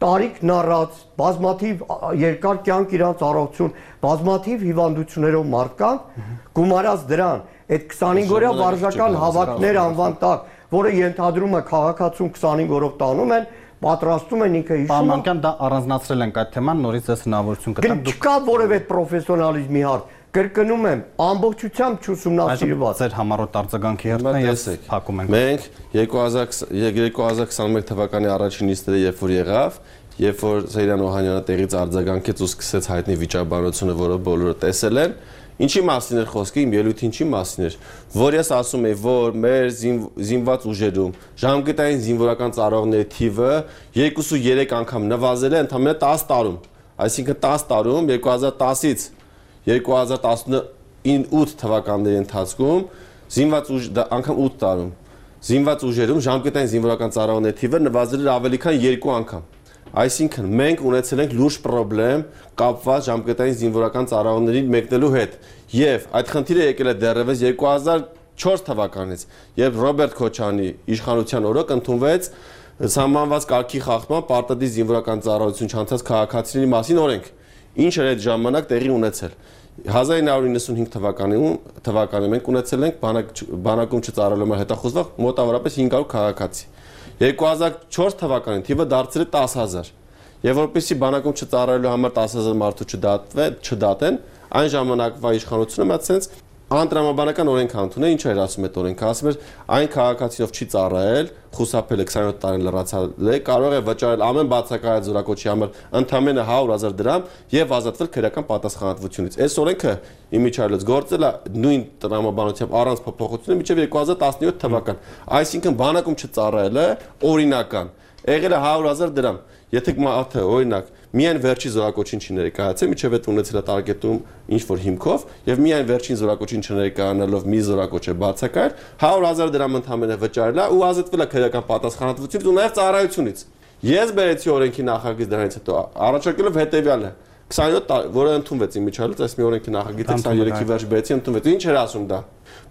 Speaker 5: տարիքն առած, բազմաթիվ երկար կյանք իրանց առողջություն, բազմաթիվ հիվանդություններով մարդկանց գումարած դրան, այդ քսանհինգ օրյա վարժական հավաքներ անվան տակ որը ենթադրում է քաղաքացուն քսանհինգ օրով տանում են, պատրաստում են ինքը հիշում։
Speaker 2: Պարոն դա առանձնացրել ենք այդ թեման, նորից ես հնարավորություն կտամ։
Speaker 5: Չկա որևէ պրոֆեսիոնալիզմի հարց։ Կրկնում եմ, ամբողջությամբ չուսումնասիրված։
Speaker 2: Ձեր համառոտ արձագանքի հերթն է, ես փակում ենք։
Speaker 4: Մենք երկու հազար քսաներկու թվականի առաջին նիստերը երբ որ եղավ, երբ որ Սեյրան Օհանյանը տեղից արձագանքեց ու սկսեց հայտնի վիճաբանությունը, որը բոլորը տեսել են, Ինչի մասին էր խոսքը, իմ ելույթի ինչի մասին էր, որ ես ասում եի, որ մեր զինված ուժերում ժամկետային զինվորական ծառայողների թիվը երկուսուերեք անգամ նվազել է ընդամենը տասը տարում, այսինքն տասը տարում երկու հազար տասից երկու հազար տասնութ թվականների ընթացքում զինված ուժ անգամ ութ տարում զինված ուժերում ժամկետային զինվորական ծառայողների թիվը նվազել էր ավելի քան երկու անգամ Այսինքն մենք ունեցել ենք լուրջ խնդրեմ կապված ժամկետային զինվորական ծառայողների մեկնելու հետ եւ այդ խնդիրը եկել է դեռևս երկու հազար չորս թվականից երբ Ռոբերտ Քոչյանի իշխանության օրոք ընդունվեց սահմանված կարգի խախտման պարտադիր զինվորական ծառայություն չանցած քաղաքացիների մասին օրենք ինչ էր այդ ժամանակ տեղի ունեցել հազար ինը հարյուր իննսունհինգ թվականին թվականին մենք ունեցել ենք բանակում չծառայելու համար հետախուզված մոտավորապես հինգ հարյուր քաղաքացի երկու հազար չորս թվականին թիվը դարձել է տասը հազար եւ որպեսզի բանակում չծառայելու համար տասը հազար մարդու չդատեն այն ժամանակվա իշխանությունը մտածեց անտրամաբանական օրենք ընդունել ինչ էր ասում այդ օրենքը ասում էր այն քաղաքացիով չի ծառայել խուսափել է քսանյոթ տարին լրացել է կարող է վճարել ամեն բացակայած զորակոչի համար ընդամենը հարյուր հազար դրամ եւ ազատվել քրեական պատասխանատվությունից այս օրենքը իմիջիայլոց գործել է նույն տրամաբանությամբ առանց փոփոխությունների մինչեւ երկու հազար տասնյոթ թվական այսինքն բանակում չծառայելը օրինական եղել է հարյուր հազար դրամ եթե մարդը օրինակ միայն վերջի զորակոչին չներկայացել, միջև այդ ունեցել է տարգետում ինչ-որ հիմքով եւ միայն վերջին զորակոչին չներկայանալով մի զորակոչ է բացակայել, հարյուր հազար դրամ ընդամենը վճարել է ու ազատվել է քրեական պատասխանատվությունից ու նաեւ ծառայությունից։ Ես բերեցի օրենքի նախագիծ դրանից հետո առաջարկելով հետեւյալը քսանյոթ որը ընդունվեց իմիջիայլոց, այս մի օրենքի նախագիծը քսաներեքի վերջ բերեցի ընդունվեց։ Ինչ էր ասում դա։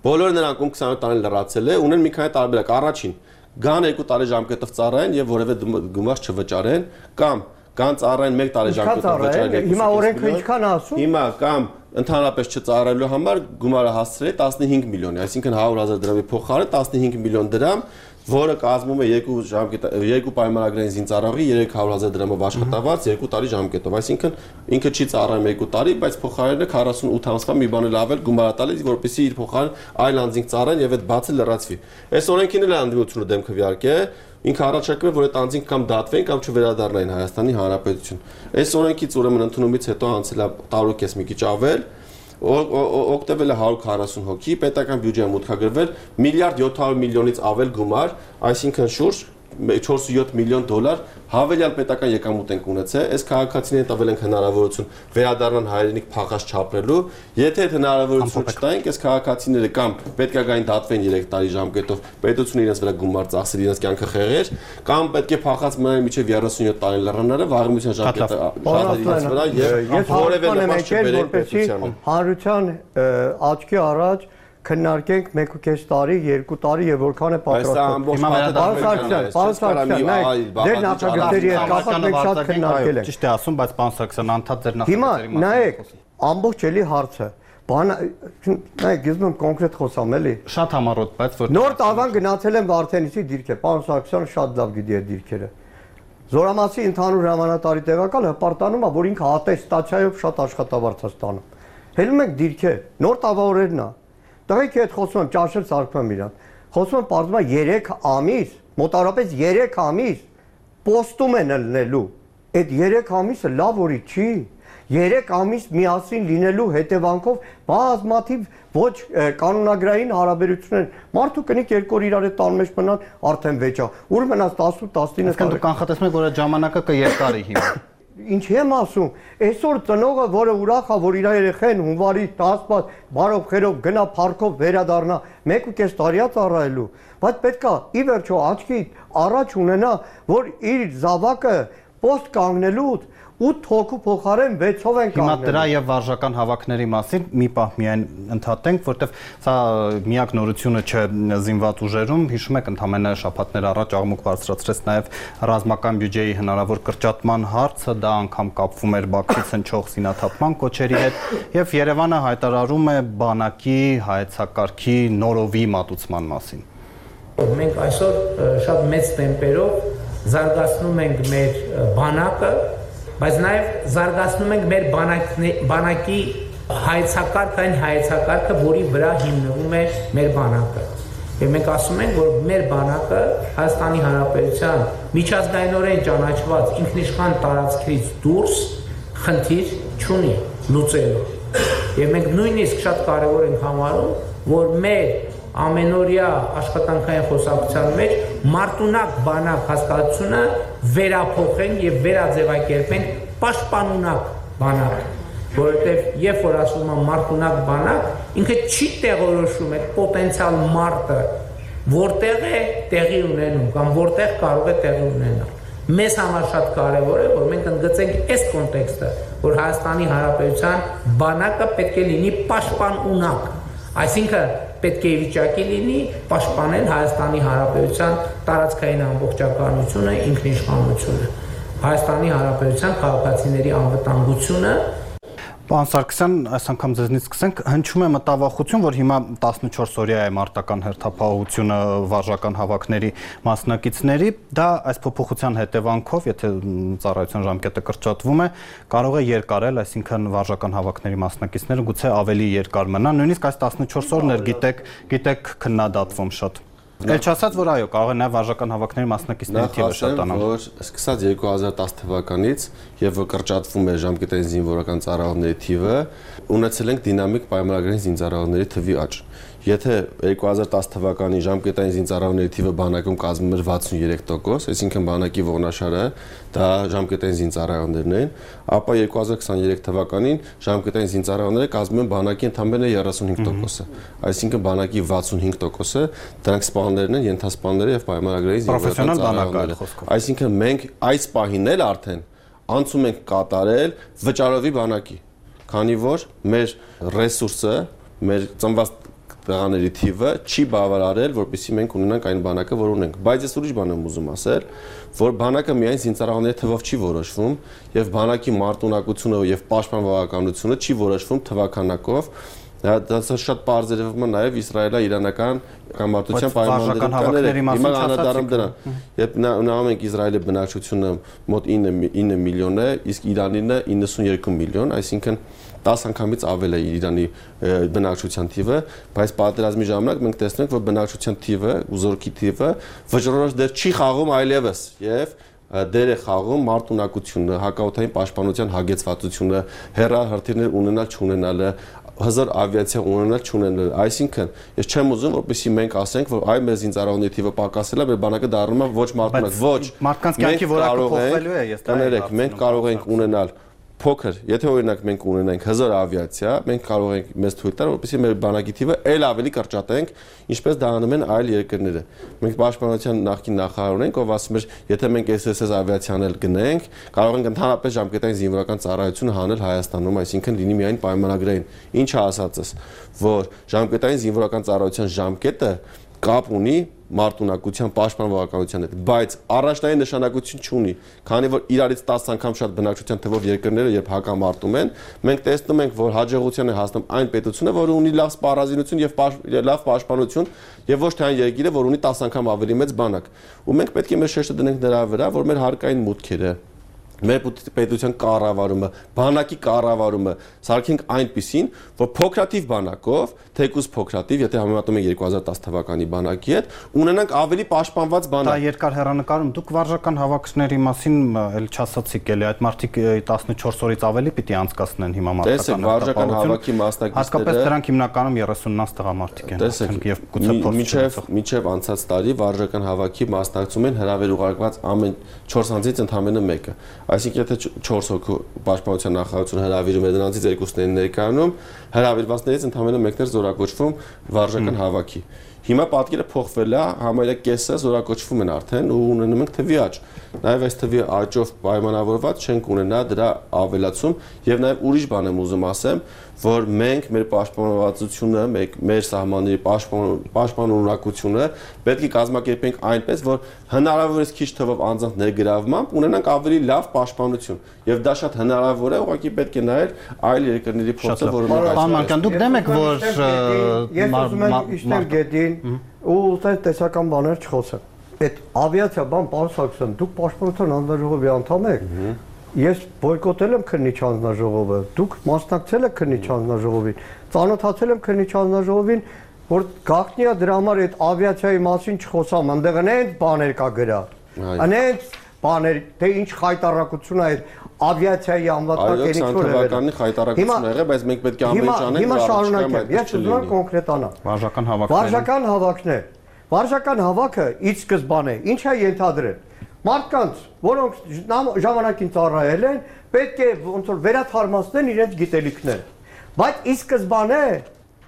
Speaker 4: Բոլոր նրանք ում քսանյոթ տարին լրացել է, ունեն մի քանի տարբերակ։ Առաջին, գան երկու տարի ժամկետով ծառայեն եւ որևէ գումար չվճարեն կամ Կան ծառայեն մեկ տարի ժամկետով վճարել։
Speaker 5: Հիմա օրենքը ինչքան ասում։
Speaker 4: Հիմա կամ ընդհանրապես չծառայելու համար գումարը հասցրել տասնհինգ միլիոնի, այսինքն հարյուր հազար դրամի փոխարեն տասնհինգ միլիոն դրամ, որը կազմում է երկու ժամկետ երկու պայմանագրային զինծառայողի երեք հարյուր հազար դրամով աշխատավարձ երկու տարի ժամկետով, այսինքն ինքը չի ծառայում երկու տարի, բայց փոխարենը քառասունութ ամսվա մի բան էլ ավել գումար տալիս, որպեսզի իր փոխարեն այլ անձինք ծառայեն եւ այդ բացը լրացվի։ Այս օրենքին էլ անդիմությունը դեմ քվեարկե Ինքը առաջարկում է, որ այդ անձինք կամ դատվեն կամ չվերադառնային Հայաստանի Հանրապետություն։ Այս օրենքից ուրեմն ընդունումից հետո անցել է տարու կես մի քիչ ավել, օգտվել է հարյուր քառասուն հոգի, պետական բյուջեը մուտքագրվել միլիարդ յոթ հարյուր միլիոնից ավել գումար, այսինքն շուրջ չորսունյոթ միլիոն դոլար հավելյալ պետական եկամուտ ենք ունեցել, այս քաղաքացիներին տվել ենք հնարավորություն վերադառնան հայրենիք փախած չապրելու, եթե այդ հնարավորությունը չտայինք, այս քաղաքացիները կամ պետք է գային դատվեն երեք տարի ժամկետով, պետությունը իրենց վրա գումար ծախսեր, իրենց կյանքը խեղեր, կամ պետք է փախած մնան մինչև երեսունյոթ տարի լռանները, վաղեմության ժամկետը շահերի իրենց վրա եւ որևէ նպաստ չբերեն պետությանը։
Speaker 5: Հանրության աչքի առաջ քննարկենք մեկ ու կես տարի, երկու տարի եւ որքան է պատրաստվում։ Դեր նախագծերի հետ կապված մենք շատ քննարկել ենք։
Speaker 2: Ճիշտ է ասում, բայց պարոն Սարգսյան, անդադ ձեր
Speaker 5: նախագծերի մասին։ Հիմա նայեք, ամբողջ էլի հարցը։ Բան, նայեք, գիզում կոնկրետ խոսամ էլի։
Speaker 2: Շատ համառոտ, բայց որ
Speaker 5: նոր տավան գնացել եմ Վարդենիսի դիրքը, պարոն Սարգսյանը շատ լավ գիտի այդ դիրքերը։ Զորամասի ընդհանուր հրամանատարի տեղակալ հպարտանում է, որ ինքը ատեստացիայով շատ աշխատավարձ է ստանում։ Հելում եք դիրքեր, նոր տավավորերն է։ Տղեկ հետ խոսում եմ, ճաշել սարկում եմ իրան։ Խոսում եմ, պարզվում է երեք ամիս, մոտավորապես երեք ամիս պոստում են լնելու։ Այդ երեք ամիսը լավ օրի չի։ երեք ամիս միասին լինելու հետևանքով բազմաթիվ ոչ կանոնագրային հարաբերություններ։ Մարդու կնիկ երկու օր իրար հետ տան մեջ մնան, արդեն վեճա։ Ուր մնաց տասը տասնինը
Speaker 2: տարի։ Դուք կանխատեսում եք, որ այդ ժամանակը կերկարի հիմա։
Speaker 5: Ինչ եմ ասում, այսօր ծնողը, որը ուրախ է, որ իր երեխեն հունվարի տասը բարով խերով գնա փառքով վերադառնա, մեկ ու կես տարի է ծառայելու, բայց պետքա ի վերջո աչքի առաջ ունենա, որ իր զավակը post կանգնելուց ութ հոգու փոխարեն վեցով են կանգնել։
Speaker 2: Հիմա դրա եւ վարժական հավաքների մասին մի պահ միայն ընդհատենք, որտեվ սա միակ նորությունը չէ զինված ուժերում, հիշում եք ընդամենը շաբաթներ առաջ աղմուկ բարձրացրեց նաեւ ռազմական բյուջեի հնարավոր կրճատման հարցը, դա անգամ կապվում էր Բաքվից հնչող զինաթափման կոչերի հետ եւ Երևանը հայտարարում է բանակի հայեցակարգի նորովի մատուցման մասին։
Speaker 6: Մենք այսօր շատ մեծ տեմպերով զարգացնում ենք մեր բանակը, բայց նաև զարգացնում ենք մեր բանակի հայեցակարգը, այն հայեցակարգը, որի վրա հիմնվում է մեր բանակը։ Եվ մենք ասում ենք, որ մեր բանակը Հայաստանի Հանրապետության միջազգայինորեն ճանաչված ինքնիշխան տարածքից դուրս խնդիր չունի լուծելու։ Եվ մենք նույնիսկ շատ կարևոր ենք համարում, որ մեր ամենօրյա աշխատանքային խոսակցության մեջ մարտունակ բանակ հասկացությունը վերափոխենք եւ վերաձևակերպենք պաշտպանունակ բանակ, որովհետեւ երբ որ ասում եմ մարտունակ բանակ, ինքը չի տեղորոշում այդ պոտենցիալ մարտը, որտեղ է տեղի ունենում կամ որտեղ կարող է տեղի ունենալ։ Մեզ համար շատ կարևոր է, որ մենք ընդգծենք այս կոնտեքստը, որ Հայաստանի Հանրապետության բանակը պետք է լինի պաշտպանունակ, այսինքն պետք է վիճակի լինի պաշտպանել Հայաստանի Հանրապետության տարածքային ամբողջականությունը, ինքնիշխանությունը, Հայաստանի Հանրապետության քաղաքացիների անվտանգությունը։
Speaker 2: Պարոն Սարգսյան, այս անգամ ձեզնից սկսենք, հնչում է մտավախություն, որ հիմա տասնչորս օրյա է մարտական հերթապահությունը վարժական հավաքների մասնակիցների, դա այս փոփոխության հետևանքով, եթե ծառայության ժամկետը կրճատվում է, կարող է երկարել, այսինքն վարժական հավաքների մասնակիցները գուցե ավելի երկար մնան, նույնիսկ այս տասնչորս օրներ գիտեք, գիտեք քննադատվում շատ։ Էլ չասած, որ այո, կարող է նաև վարժական հավաքների մասնակիցների թիվը շատանալ։
Speaker 4: Որ սկսած երկու հազար տասը թվականից եւ որ կրճատվում է ժամկետային զինվորական ծառայողների թիվը, ունեցել ենք դինամիկ պայմանագրային զինծառայողների թվի աճ։ Եթե երկու հազար տասը թվականի ժամկետային զինծառայողների թիվը բանակում կազմում էր վաթսուներեք տոկոս, այսինքն բանակի ողնաշարը դա ժամկետային զինծառայողներն են, ապա երկու հազար քսաներեք թվականին ժամկետային զինծառայողները կազմում են բանակի ընդամենը երեսունհինգ տոկոսը, այսինքն բանակի վաթսունհինգ տոկոսը դրանք սպաներն են, ենթասպաները եւ պայմանագրային զինվորական ծառայողները։ Այսինքն մենք այս պահին էլ արդեն անցում ենք կատարել վճարովի բանակի, քանի որ մեր ռեսուրսը, մեր ծնված տղաների թիվը չի բավարարել, որպեսզի մենք ունենանք այն բանակը, որ ունենք։ Բայց ես ուրիշ բան եմ ուզում ասել, որ բանակը միայն զինծառայողների թվով չի որոշվում, եւ բանակի մարտունակությունը եւ պաշտպանողականությունը չի որոշվում թվականակով։ Դա շատ པարզ երևում է նաև իսրայելա-իրանական կամարտության պայմանների հիմա անդրադառնում դրան։ Երբ նայում ենք Իսրայելի բնակչությունը մոտ ինը միլիոն է, իսկ Իրանինը իննսունյոթ միլիոն, այսինքն տասը անգամից ավել է Իրանի բնակչության թիվը, բայց պատերազմի ժամանակ մենք տեսնենք, որ բնակչության թիվը, ուզորքի թիվը վճռորոշ դեր չի խաղում այլևս եւ դեր է խաղում մարտունակությունը, հակաօդային պաշտպանության հագեցվածությունը, հեռահրթիռներ ունենալ չունենալը, հզոր ավիացիա ունենալ չունենալ։ Այսինքն, ես չեմ ուզում, որպեսզի մենք ասենք, որ այ մեր զինծառայողների թիվը պակասել է, մեր բանակը դառնում է ոչ մարդունակ, ոչ։
Speaker 2: Մարդկանց կյանքի որակը փոխվելու է, ես դա
Speaker 4: եմ։ Մենք կարող ենք ունենալ փոքր, եթե օրինակ մենք ունենանք հզոր ավիացիա, մենք կարող ենք մեզ թույլ տալ, որպեսզի մեր բանակի թիվը ել ավելի կրճատենք, ինչպես դա անում են այլ երկրները։ Մենք պաշտպանության նախկին նախարար ունենք, ով ասում էր, եթե մենք էս էս ավիացիան էլ գնենք, կարող ենք ընդհանրապես ժամկետային զինվորական ծառայություն հանել Հայաստանում, այսինքն լինի միայն պայմանագրային։ Ինչը ասածս, որ ժամկետային զինվորական ծառայության ժամկետը կապ ունի մարտունակության պաշտպանողականության հետ, բայց առաջնային նշանակություն չունի, քանի որ իրարից տասը անգամ շատ բնակչության թվով երկրները երբ հակամարտում են, մենք տեսնում ենք, որ հաջողության է հասնում այն պետությունը, որը ունի լավ սպառազինություն եւ լավ պաշտպանություն, եւ ոչ թե այն երկիրը, որ ունի տասը անգամ ավելի մեծ բանակ։ Ու մենք պետք է մեր շեշտը դնենք դրա վրա, որ մեր հարկային մուտքերը մեր պետության կառավարումը, բանակի կառավարումը սարքենք այնպիսին, որ փոքրաթիվ բանակով, թեկուզ փոքրաթիվ, եթե համեմատում ենք երկու հազար տասը թվականի բանակի հետ, ունենանք ավելի պաշտպանված բանակ։
Speaker 2: Դա երկար հեռանկարում դուք վարժական հավաքների մասին էլ չասացիք էլի, այդ մարդիկ տասնչորս օրից ավելի պիտի անցկացնեն հիմա
Speaker 4: մարդկային։ Տեսեք, վարժական հավաքի մասնակիցները
Speaker 2: հատկապես դրանք հիմնականում երեսուննանց տղամարդիկ են, եւ գուցե
Speaker 4: մինչեւ մինչեւ անցած տարի վարժական հավաքի մասնակցում են հրավեր ուղարկված ամեն չորս անձից ընդամենը մեկը։ Այսինքն եթե չորս հոգու պաշտպանության նախարարությունը հրավիրում է դրանցից երկուսներին ներկայանում, հրավիրվածներից ընդամենը մեկն էր զորակոչվում վարժական հավաքի։ Հիմա պատկերը փոխվել է, համարյա կեսը զորակոչվում են արդեն ու ունենում ենք թվի աճ։ Նաև այս թվի աճով պայմանավորված չենք ունենա դրա ավելացում եւ նաև ուրիշ բան եմ ուզում ասեմ, որ մենք մեր պաշտպանվածությունը, մեր սահմանների պաշտպանունակությունը պետք է կազմակերպենք այնպես, որ հնարավորինս քիչ թվով անձանց ներգրավմամբ ունենանք ավելի լավ պաշտպանություն։ Եվ դա շատ հնարավոր է, ուղղակի պետք է նայել այլ երկրների փորձը, որը մենք
Speaker 2: Պարոն Մանուկյան, դուք դեմ եք, որ
Speaker 5: ես ուզում եմ իշտել գետին ու ուզում տեսական բաներ չխոսեմ։ Այդ ավիացիա բան պարոն Սարգսյան, դուք պաշտպանության հանձնաժողովի անդամ եք։ Ես բոյկոտել եմ քննիչ հանձնաժողովը, դուք մասնակցել եք քննիչ հանձնաժողովին, ծանոթացել եմ քննիչ հանձնաժողովին, որ գաղտնի է դրա համար այդ ավիացիայի մասին չխոսամ, այնտեղ այնց բաներ կա գրած։ Այնց բաներ, թե ինչ խայտարակություն է այդ ավիացիայի անվտանգ կենիքով է։
Speaker 4: Այո, խայտարակություն եղել, բայց մենք պետք է ամեն ինչ անենք։
Speaker 5: Հիմա շարունակեմ, ես ուզում եմ կոնկրետանալ։
Speaker 2: վարժական հավաքներ։
Speaker 5: Վարժական հավաքներ։ Վարժական հավաքը ի սկզբանե ինչ է ենթադրել։ Մարդկանց, որոնք ժամանակին ծառայել են, պետք է ոնց որ վերաթարմացնեն իրենց գիտելիքները։ Բայց ի սկզբանե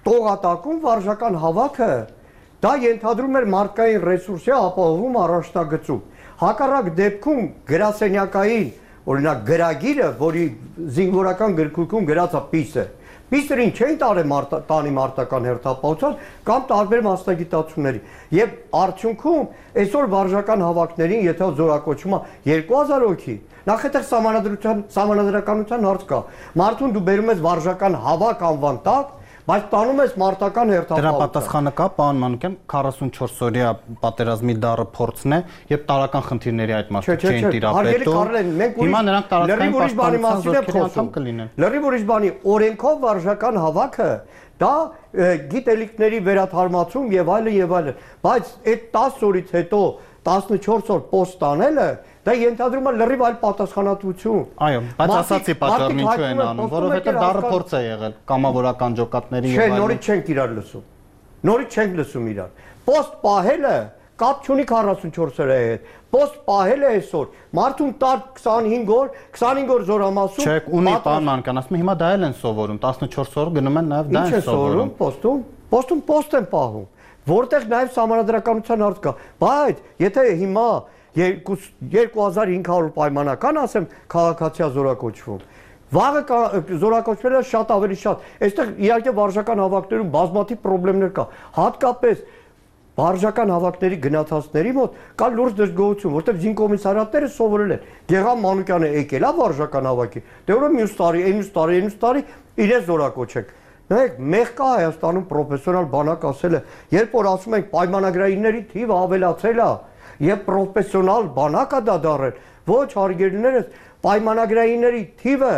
Speaker 5: տողատակում վարժական հավաքը դա ենթադրում էր մարդկային ռեսուրսի ապահովում առաջնագծում։ Հակառակ դեպքում գրասենյակային, օրինակ գրագիրը, որի զինվորական գրքույկում գրած է պիսը, պիսերին չէին տարել տանի մարտական հերթապահության կամ տարբեր մասնագիտացումների։ Եվ արդյունքում այսօր վարժական հավաքներին, եթե զորակոչումը երկու հազար հոգի, նախ այդտեղ սահմանադրության սահմանադրականության հարց կա։ Մարդուն դու բերում ես վարժական հավաք անվան տակ, բայց տանում ես մարտական հերթապահություն։
Speaker 2: Դրա պատասխանը կա, պարոն Մանուկյան, քառասունչորս օրյա պատերազմի դառը փորձն է եւ տարական խնդիրների այդ մարդիկ չէին տիրապետում։ Հիմա նրանք տարածքային պաշտպանության զորքերի անդամ կլինեն։
Speaker 5: Լրիվ ուրիշ բանի, օրենքով վարժական հավաքը դա գիտելիքների վերաթարմացում եւ այլն եւ այլն, բայց այդ տասը օրից հետո տասնչորս օր պոստ անելը դա ենթադրում է լրիվ այլ պատասխանատվություն։
Speaker 2: Այո, բայց ասացի պատճառն ինչու են անում, որովհետեւ դառը փորձ է եղել կամավորական ջոկատների
Speaker 5: եւ այլն։ Չէ, նորից չենք իրար լսում։ Նորից չենք լսում իրար։ Պոստ պահելը կապ չունի քառասունչորս օրի հետ։ Պոստ պահելը այսօր մարդուն տար քսանհինգ օր, քսանհինգ օր զորամասում։
Speaker 2: Չէ, ունի պարոն Մանուկյան, ասում եմ հիմա դա էլ են սովորում, տասնչորս օր գնում են նաեւ դա են սովորում։
Speaker 5: Պոստում, պոստում պոստ են պահում, որտեղ նաեւ սահմանադրականության հարց կա։ Բայց եթե հիմա երկու հազար հինգ հարյուր պայմանական ասեմ քաղաքացիա զորակոչվում։ Վաղը զորակոչվելը շատ ավելի շատ։ Այստեղ իհարկե վարժական հավաքներում բազմաթիվ խնդիրներ կա։ Հատկապես վարժական հավաքների գնացածների մոտ կա լուրջ դժգոհություն, որտեղ զինկոմիսարիատները սովորել են։ Գեգամ Մանուկյանը եկել է վարժական հավաքի։ Դե ուրեմն մյուս տարի, այնուս տարի, այնուս տարի իրեն զորակոչեք։ Նայեք, մեկ կա Հայաստանում պրոֆեսիոնալ բանակ ասել է, երբ որ ասում ենք պայմանագրայինների թիվը ավելացել է, եւ պրոֆեսիոնալ բանակա դա դարել։ Ոչ հարգելիներս, պայմանագրայինների թիվը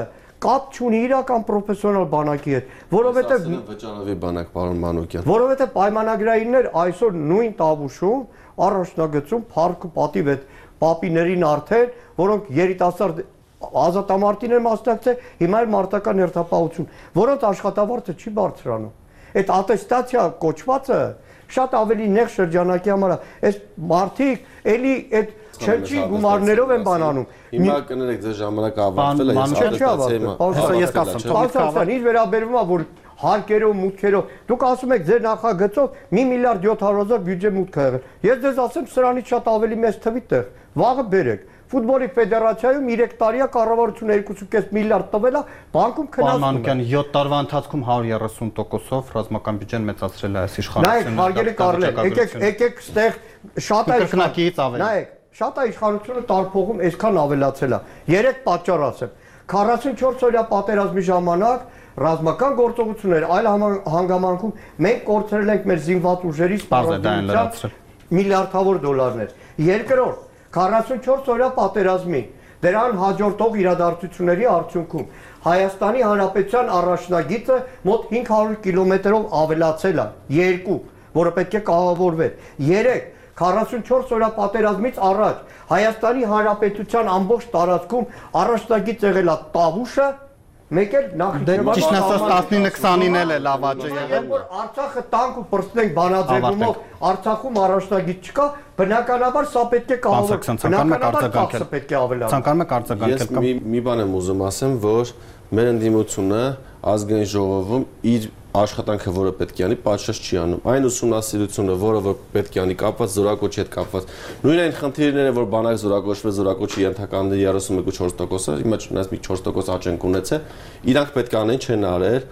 Speaker 5: կապ չունի իրական պրոֆեսիոնալ բանակի հետ, որովհետեւ
Speaker 4: վճարովի բանակ, պարոն Մանուկյան։
Speaker 5: Որովհետեւ պայմանագրայիններ այսօր նույն տավուշում առաջնագծում փառք ու պատիվ այդ պապիներին արդեն, որոնք երիտասարդ ազատամարտին են մասնակցել, հիմա էլ մարտական հերթապահություն, որոնց աշխատավարձը չի բարձրանում։ Այդ ատեստացիա կոչվածը շատ ավելի նեղ շրջանակի համար է։ Այս մարդիկ էլի այդ չնչի գումարներով են բանանում։
Speaker 4: Հիմա կներեք ձեր ժամանակ ավարտվել է, ես ատեստացիայի
Speaker 2: մասին ես կասեմ,
Speaker 5: Պարզապես ինչ վերաբերվում է, որ հարկերով, մուտքերով, դուք ասում եք ձեր նախագծով մի միլիարդ յոթ հարյուր հազար բյուջե մուտք ա եղել։ Ես ձեզ ասեմ, սրանից շատ ավելի մեծ թվի տեղ։ Վաղը բերեք։ Ֆուտբոլի ֆեդերացիայում երեք տարիա կառավարությունը երկու կoma պենս միլիարդ տվել է, բանկում քննարկում։
Speaker 2: Պարմանական յոթ տարվա ընթացքում հարյուր երեսուն տոկոսով ռազմական բյուջեն մեծացրել է այս իշխանությունը։
Speaker 5: Նայեք, հարգելի Կարլեն, եկեք եկեք ստեղ շատ է
Speaker 2: կրկնակիից ավելի։
Speaker 5: Նայեք, շատ է իշխանությունը տարփողում այսքան ավելացել է։ Երեք պատճառ ասեմ։ քառասունչորս օրյա պատերազմի ժամանակ ռազմական գործողություններ այլ հանգամանքում մենք կորցրել ենք մեր զինված ուժերի սպառազինության միլիարդավոր դոլարներ։ Երկրորդ, քառասունչորս օրյա պատերազմի դրան հաջորդող իրադարձությունների արդյունքում Հայաստանի Հանրապետության առաջնագիծը մոտ հինգ հարյուր կիլոմետրով ավելացել է, երկու, որը պետք է կահավորվեր։ Երեք, քառասունչորս օրյա պատերազմից առաջ Հայաստանի Հանրապետության ամբողջ տարածքում առաջնագիծ եղել է Տավուշը, մեկ էլ Նախիջևան
Speaker 2: Ճիշտ ասած տասնինը քսանին էլ է լավաճը եղել։
Speaker 5: Որ Արցախը տանկ ու պրծնենք բանաձևումով, Արցախում առաջնագիծ չկա, բնականաբար սա պետք է կահավորվի։ Բնականաբար ծախսը պետք է ավելանա։
Speaker 2: Ցանկանում եք արձագանքել
Speaker 4: կամ։ Ես մի մի բան եմ ուզում ասեմ, որ մեր ընդդիմությունը ազգային ժողովում իր աշխատանքը, որը պետք է անի, պատշաճ չի անում։ Այն ուսումնասիրությունը, որը որ պետք է անի, կապված զորակոչի հետ կապված։ Նույն այն խնդիրները, որ բանակ զորակոչվել, զորակոչի ենթականների երեսուն մեկ կoma չորս տոկոսը, հիմա չնայած մի չորս տոկոս աճ են ունեցել, իրանք պետք է անեն, չեն արել։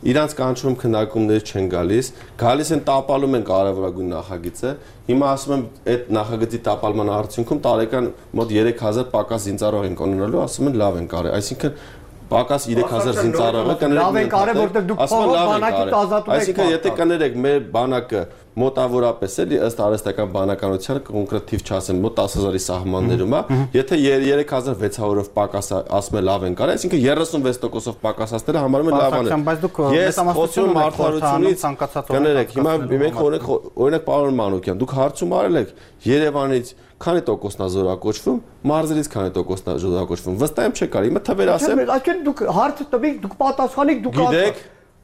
Speaker 4: Իրանց կանչում քննարկումներ չեն գալիս, գալիս են տապալում են կարևորագույն նախագիծը։ Հիմա ասում եմ, այդ նախագծի տապալման արդյունքում տարեկան մոտ երեք հազար պակաս զինծառայող են կունենալու, ասում են լավ են կարել։ Այսինքն պակաս երեք հազար զինծառայողը կներեք։
Speaker 5: Լավ են կարել, որտեղ դուք փողոց բանակից ազատում եք։
Speaker 4: Այսինքն եթե կներեք մեր բանակը մոտավորապես էլի ըստ արհեստական բանականությանը կոնկրետ թիվ չասեմ, մոտ տասը հազարի սահմաններում է, եթե երեք հազար վեց հարյուրով պակաս ասում է լավ են կարել, այսինքն երեսունվեց տոկոսով պակասացները համարում են լավ են։ Ես խոսում արդարությունից կներեք, հիմա մենք օրենք օրինակ պարոն Մանուկյան, դուք հարցում արել եք Երևանից քանի տոկոսն է զորակոչվում, մարզերից քանի տոկոսն է զորակոչվում։ Վստահ եմ չկար։ Հիմա թվեր ասեմ։
Speaker 5: Այսինքն դուք հարցը տվեք, դուք պատասխանեք, դուք
Speaker 4: գիտեք։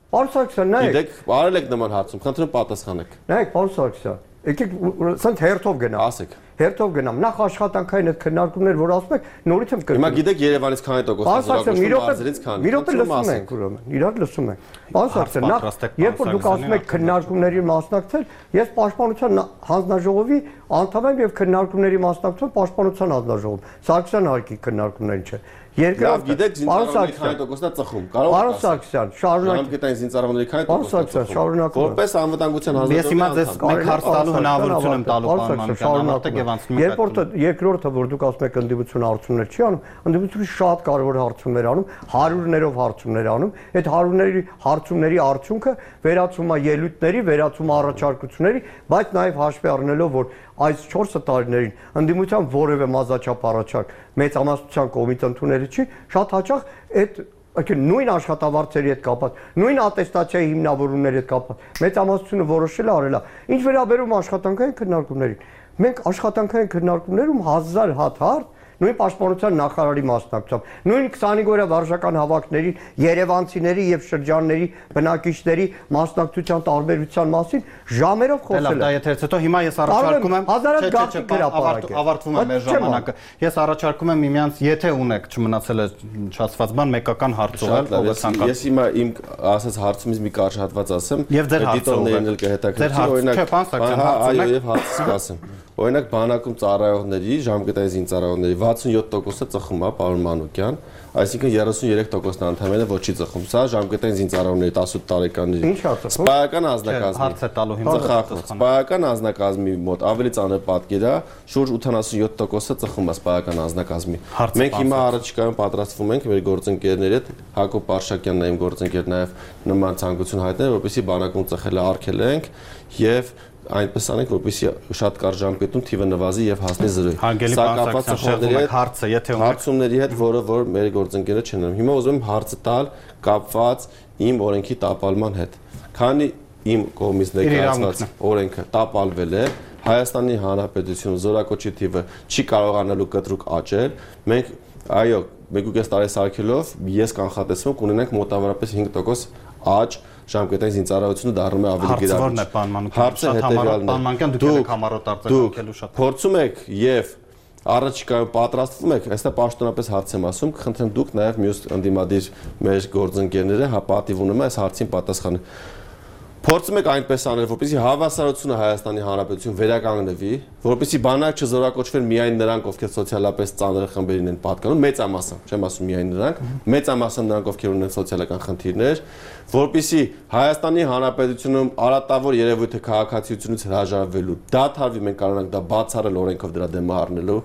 Speaker 5: Պարոն Սարգսյան, նայեք։
Speaker 4: Գիտեք, արել եք նման հարցում, խնդրում պատասխանեք։
Speaker 5: Նայեք, պարոն Սարգսյան, եկեք սենց հերթով գնամ։
Speaker 4: Ասեք։
Speaker 5: Հերթով գնամ։ Նախ աշխատանքային այդ քննարկումներ, որ ասում եք, նորից եմ կրկնում։
Speaker 4: Հիմա գիտեք Երևանից քանի տոկոս է զորակոչվում, մարզերից քանի։
Speaker 5: Մի րոպե լսում ենք ուրեմն, իրար լսում ենք։ Պարոն Սարգսյան, նախ երբ որ դուք ասում եք քննարկումների մասնակցել, ես Պաշտպանության հանձնաժողովի անդամ եմ եւ քննարկումների մասնակցում Պաշտպանության հանձնաժողովում։ Սարգսյան հարկի քննարկումներին չէ։
Speaker 4: Երկրորդ, գիտեք զինծառայողների քանի տոկոսն է ծխում։ Կարող
Speaker 5: եք ասել։ Պարոն Սարգսյան, շարունակեք։
Speaker 4: Ժամկետային զինծառայողների քանի
Speaker 5: տոկոսն է ծխում։
Speaker 4: Որպես անվտանգության հանձնաժողովի
Speaker 2: Ես հիմա ձեզ մեկ հարց տալու հնարավորություն եմ տալու պարոն Մանուկյան, եւ անցնում եք։
Speaker 5: Երբ երկրորդը, որ դուք ասում եք ընդդիմությունը հարցումներ չի անում, ընդդիմությունը շատ կարևոր հարցումներ անում, հարյուրներով հարցումներ անում, այդ հարյուրների հարցումների արդյունքը վերածում է ելույթների, վերածում է առաջարկությունների, բայց նաև հաշվի առնելով, որ այս չորս տարիներին ընդդիմության որևէ մազաչափ առաջարկ մեծամասնության կողմից ընդունելի չի, շատ հաճախ այդ Ակին նույն աշխատավարձերի հետ կապված, նույն ատեստացիայի հիմնավորումների հետ կապված, մեծամասնությունը որոշել է արել է։ Ինչ վերաբերում աշխատանքային քննարկումներին, մենք աշխատանքային քննարկումներում հազար հատ հարց նույն պաշտպանության նախարարի մասնակցությամբ, նույն քսանհինգ օրյա վարժական հավաքների, երևանցիների եւ շրջանների բնակիչների մասնակցության տարբերության մասին ժամերով խոսել
Speaker 2: եմ։ Դա եթերից հետո հիմա ես առաջարկում եմ,
Speaker 5: հազարատ գաղտնի գրապարակ է։
Speaker 2: Ավարտվում է մեր ժամանակը։ Ես առաջարկում եմ միմյանց, եթե ունեք չմնացել է չասված բան, մեկական հարց ուղղել, ով է ցանկանում։
Speaker 4: Ես հիմա իմ ասած հարցումից մի կարճ հատված ասեմ,
Speaker 2: եւ ձեր
Speaker 4: դիտողներն էլ կհետաքրքրի, օրինակ, այո, եւ հարցը ասեմ։ Օրինակ բանակում ծառայողների, ժամկետային զինծառայողների վաթսունյոթ տոկոսը ծխում է, պարոն Մանուկյան, այսինքն երեսուններեք տոկոսն անդամները ոչի ծխում։ Սա ժամկետային զինծառայողների տասութ տարեկանների սպայական անձնակազմի սպայական անձնակազմի մոտ ավելի ծանր պատկեր է, շուրջ ութանասունյոթ տոկոսը ծխում է սպայական անձնակազմի։ Մենք հիմա առաջիկայում պատրաստվում ենք մեր գործընկերների հետ, Հակոբ Պարշակյանն է իմ գործընկեր, նաև նման ցանկություն հայտնել, որպեսզի բանակում ծխելը արգելենք եւ այնպես անենք, որպեսզի շատ կարճ ժամկետում թիվը նվազի եւ հասնի զրոյի։
Speaker 2: Սա կապված ծխողների հարցը, եթե ունեք
Speaker 4: հարցումների հետ, որը որ մեր գործընկերները չեն անում։ Հիմա ուզում եմ հարցը տալ կապված իմ օրենքի տապալման հետ։ Քանի իմ կողմից ներկայացված օրենքը տապալվել է, Հայաստանի Հանրապետությունը զորակոչի թիվը չի կարողանալու կտրուկ աճել, մենք այո, մեկ ու կես տարի սարքելով ես կանխատեսում կունենանք մոտավորապես հինգ տոկոս աճ ժամկետային զինծառայությունը դառնում է ավելի
Speaker 2: գերակշռ։ Հարցը ո՞րն է, պարոն Մանուկյան։ Շատ համառոտ, պարոն Մանուկյան, դուք եք համառոտ արձագանքելու շատ։
Speaker 4: Փորձում եք եւ առաջիկայում պատրաստվում եք, այստեղ պաշտոնապես հարց եմ ասում, կխնդրեմ դուք նաեւ մյուս ընդդիմադիր մեր գործընկերները հա պատիվ ունեմ այս հարցին պատասխանը։ Փորձում եք այնպես անել, որպեսզի հավասարությունը Հայաստանի Հանրապետություն վերականգնվի, որպեսզի բանակ չզորակոչվեն միայն նրանք, ովքեր սոցիալապես ծանր խմբերին են պատկանում, մեծամասը, չեմ ասում միայն նրանք, մեծամասը նրանք, ովքեր ունեն սոցիալական խնդիրներ, որպեսզի Հայաստանի Հանրապետությունում արատավոր երևույթը քաղաքացիությունից հրաժարվելու դադարվի, մենք կարողանանք դա բացառել օրենքով դրա դեմ առնելու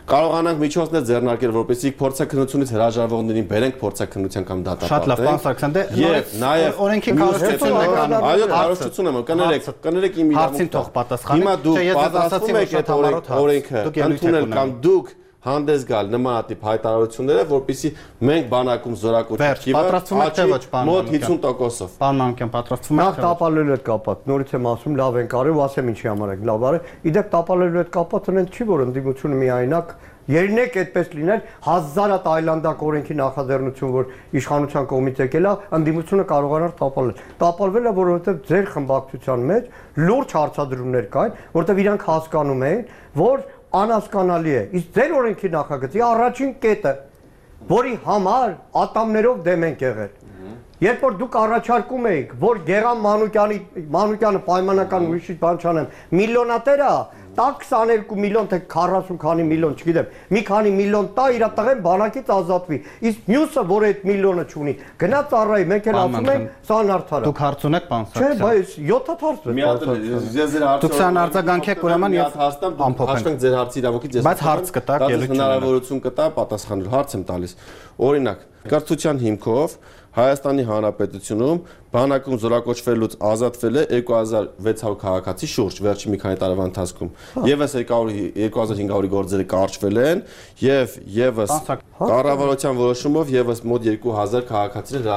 Speaker 4: կարողանանք միջոցներ ձեռնարկել, որպեսզի փորձաքննությունից հրաժարվողներին բերենք փորձաքննության կամ դատապարտենք։
Speaker 2: Շատ լավ, պարոն Սարգսյան, դե
Speaker 4: եւ նաեւ
Speaker 2: օրենքի քարոզչությունն է կանում։
Speaker 4: Այո, քարոզչություն եմ, կներեք, կներեք իմ իրավունքը։
Speaker 2: Հարցին թող պատասխանի։
Speaker 4: Հիմա դուք պատասխանում եք այդ օրենքը, ընդունել կամ դուք հանդես գալ նմանատիպ հայտարարությունները, որպեսզի մենք բանակում զորակոչի մոտ հինգ տոկոսով։
Speaker 2: Պարոն Մանուկյան, պատրաստվում եք։
Speaker 5: Նախ տապալելու հետ կապած, նորից եմ ասում, լավ են կարել ու ասեմ ինչի համար եք լավ արել։ Իդեպ տապալելու հետ կապած այնց չի, որ ընդդիմությունը միայնակ Երնեք այդպես լիներ հազարատ այլանդակ օրենքի նախաձեռնություն, որ իշխանության կողմից եկել է, ընդդիմությունը կարողանար տապալել։ Տապալվել է, որովհետև ձեր խմբակցության մեջ լուրջ հարցադրումներ կային, որովհետև իրանք հասկանում էին, որ անհասկանալի է։ Իսկ ձեր օրենքի նախագծի առաջին կետը, որի համար ատամներով դեմ ենք եղել։ Երբ որ դուք առաջարկում էիք, որ Գեղամ Մանուկյանի Մանուկյանը պայմանական ուրիշ բան չանեմ, միլիոնատեր է, տա քսաներկու միլիոն թե քառասուն քանի միլիոն, չգիտեմ, մի քանի միլիոն տա իր տղեն բանակից ազատվի։ Իսկ մյուսը, որ այդ միլիոնը չունի, գնա ծառայի, մենք էլ ասում ենք, սա անարդար է։
Speaker 2: Դուք հարց ունեք, պարոն
Speaker 5: Սարգսյան։ Չէ, բայց յոթ հարց է։
Speaker 4: Մի հատ ես ձեր հարցը։
Speaker 2: Դուք սան արձագանքեք ուրեմն ես
Speaker 4: ամփոփեմ ձեր հարցի իրավունքից ես։
Speaker 2: Բայց հարց կտակ, ելույթ
Speaker 4: հնարավորություն կտա պատասխանելու, հարց եմ տալիս։ Օրինակ, կրթության հիմքով Հայաստանի Հանրապետությունում բանակում զորակոչվելուց ազատվել է երկու հազար վեց հարյուր քաղաքացի շուրջ վերջի մի քանի տարվա ընթացքում։ Եվս երկու հազար հինգ հարյուր գործերը կարճվել են եւ եւս կառավարության որոշումով եւս մոտ երկու հազար քաղաքացիներ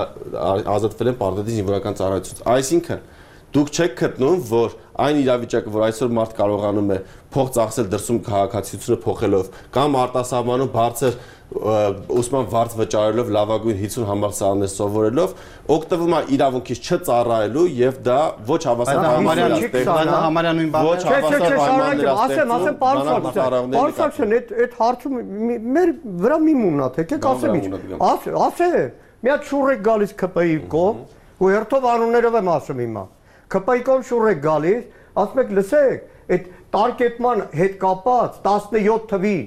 Speaker 4: ազատվել են պարտադիր զինվորական ծառայությունից։ Այսինքն դուք չեք գտնում, որ այն իրավիճակը, որ այսօր մարդ կարողանում է փող ծախսել դրսում քաղաքացիությունը փոխելով կամ արտասահմանում բարձր ուսման վարձ վճարելով լավագույն հիցուն համալսարաններ սովորելով օգտվում է իրավունքից չծառայելու եւ դա ոչ հավասար
Speaker 2: համարյա նույն բանն
Speaker 5: է։ Չէ, չէ, շարունակեմ, ասեմ, ասեմ, պարոն Սարգսյան, պարոն Սարգսյան, այդ այդ հարցում մեր վրա մի մուննա, եկեք ասեմ ինչ։ Ասե, մի հատ շուռ եք գալիս ՔՊԻ կողմ, ու հերթով անուններով եմ ասում հիմա։ ՔՊԻ կողմ շուռ եք գալիս, ասում եք, լսեք, այդ տարկետման հետ կապած տասնյոթ թվին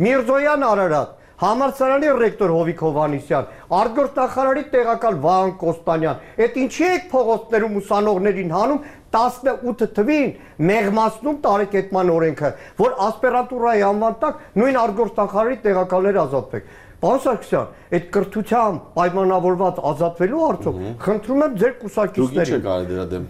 Speaker 5: Միրզոյան Արարատ Համալսարանի ռեկտոր Հովիկ Հովհաննիսյան, արտգործնախարարի տեղակալ Վահան Կոստանյան, այդ ինչի եք փողոցներում ուսանողներին հանում տասնութ թվին մեղմացնում տարեկետման օրենքը, որ ասպիրանտուրայի անվան տակ նույն արտգործնախարարի տեղակալները ազատվեք։ Պարոն Սարգսյան, այդ կրթությամբ պայմանավորված ազատվելու արդյոք խնդրում եմ ձեր կուսակիցներին։
Speaker 4: Դուք ինչ եք արել դրա դեմ։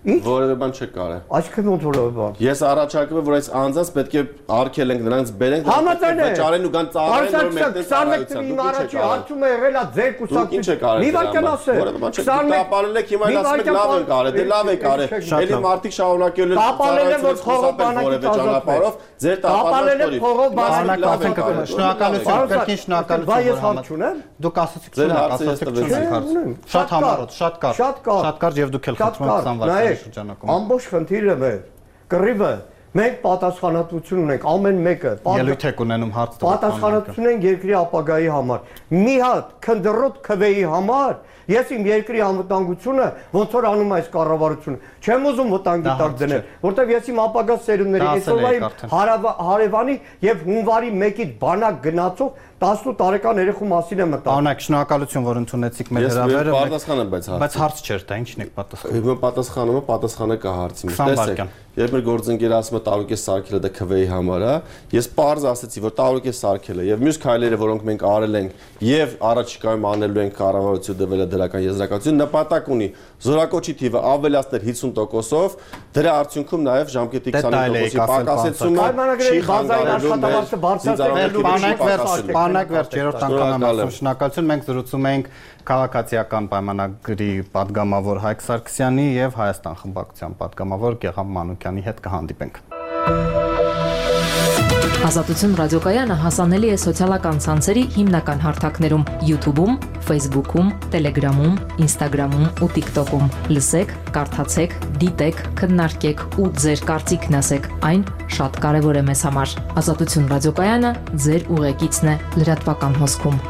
Speaker 4: Որևէ բան չեք կարել։
Speaker 5: Այսինքն ոնց որևէ բան։
Speaker 4: Ես առաջարկում եմ, որ այս անձանց պետք է արգել ենք, նրանց բերենք, վճարեն ու գան ծառայեն, որ մեկտեն ծառայության։
Speaker 5: Դուք առաջի հարցում է եղել է ձեր կուսակցություն։ Մի վարքան ասել։
Speaker 4: Որևէ բան չեք տապալել եք, հիմա ասում եք լավ են կարել, դե լավ եք արել։ Էլի մարդիկ շարունակել են
Speaker 5: տապալել են, որ փողով բանակից
Speaker 4: ճանապարհով, ձեր տապալել
Speaker 5: փողով բանակից
Speaker 2: շնորհակալություն, կրկին շնորհակալություն։
Speaker 5: Բա ես հարց չունեմ։
Speaker 2: Դուք ասացիք շնորհակ, ասացիք չունեք հարց։ Շատ համառոտ, շատ կար։ Շատ կար եւ դուք էլ խնդրում եք զանգվածային շրջանակում։
Speaker 5: Ամբողջ խնդիրը մեր կռիվը մենք պատասխանատվություն ունենք ամեն մեկը
Speaker 2: ելույթ եք ունենում հարց տալ
Speaker 5: պատասխանատվություն ենք երկրի ապագայի համար մի հատ քնդրոտ քվեի համար ես իմ երկրի անվտանգությունը ոնց որ անում այս կառավարությունը չեմ ուզում վտանգի տակ դնել որտեվ ես իմ ապագա սերունդների այսօրվա իմ հարևանի եւ հունվարի մեկից բանակ գնացող տասնութ տարեկան երեխու մասին եմ մտածում։
Speaker 2: Օրինակ շնորհակալություն որ ընդունեցիք մեր հրավերը։
Speaker 4: Ես պատասխանեմ բայց հարցը։
Speaker 2: Բայց հարց չէր դա, ինչն եք պատասխանում։
Speaker 4: Հիմա պատասխանում եմ, պատասխանը կա հարցին։ Տեսեք, երբ մեր գործընկերը ասում է տարուկ է սարքելը դա քվեի համար է, ես պարզ ասացի, որ տարուկ է սարքելը եւ մյուս քայլերը, որոնք մենք արել ենք եւ առաջիկայում անելու ենք կառավարություն դվելը դրական եզրակացություն, նպատակ ունի զորակոչի թիվը ավելացնել հիսուն տոկոսով, դրա արդյունքում նաեւ ժամկետի քսանհինգ տոկոսի պակասեցումը չի խանգարելու
Speaker 2: Բանակ վերջ երրորդ անգամ եմ ասում շնորհակալություն մենք զրուցում ենք քաղաքացիական պայմանագրի պատգամավոր Հայկ Սարգսյանի եւ Հայաստան խմբակցության պատգամավոր Գեղամ Մանուկյանի հետ կհանդիպենք
Speaker 1: Ազատություն ռադիոկայանը հասանելի է սոցիալական ցանցերի հիմնական հարթակներում՝ YouTube-ում, Facebook-ում, Telegram-ում, Instagram-ում ու TikTok-ում։ Լսեք, կարդացեք, դիտեք, քննարկեք ու ձեր կարծիքն ասեք։ Այն շատ կարևոր է մեզ համար։ Ազատություն ռադիոկայանը ձեր ուղեկիցն է լրատվական հոսքում։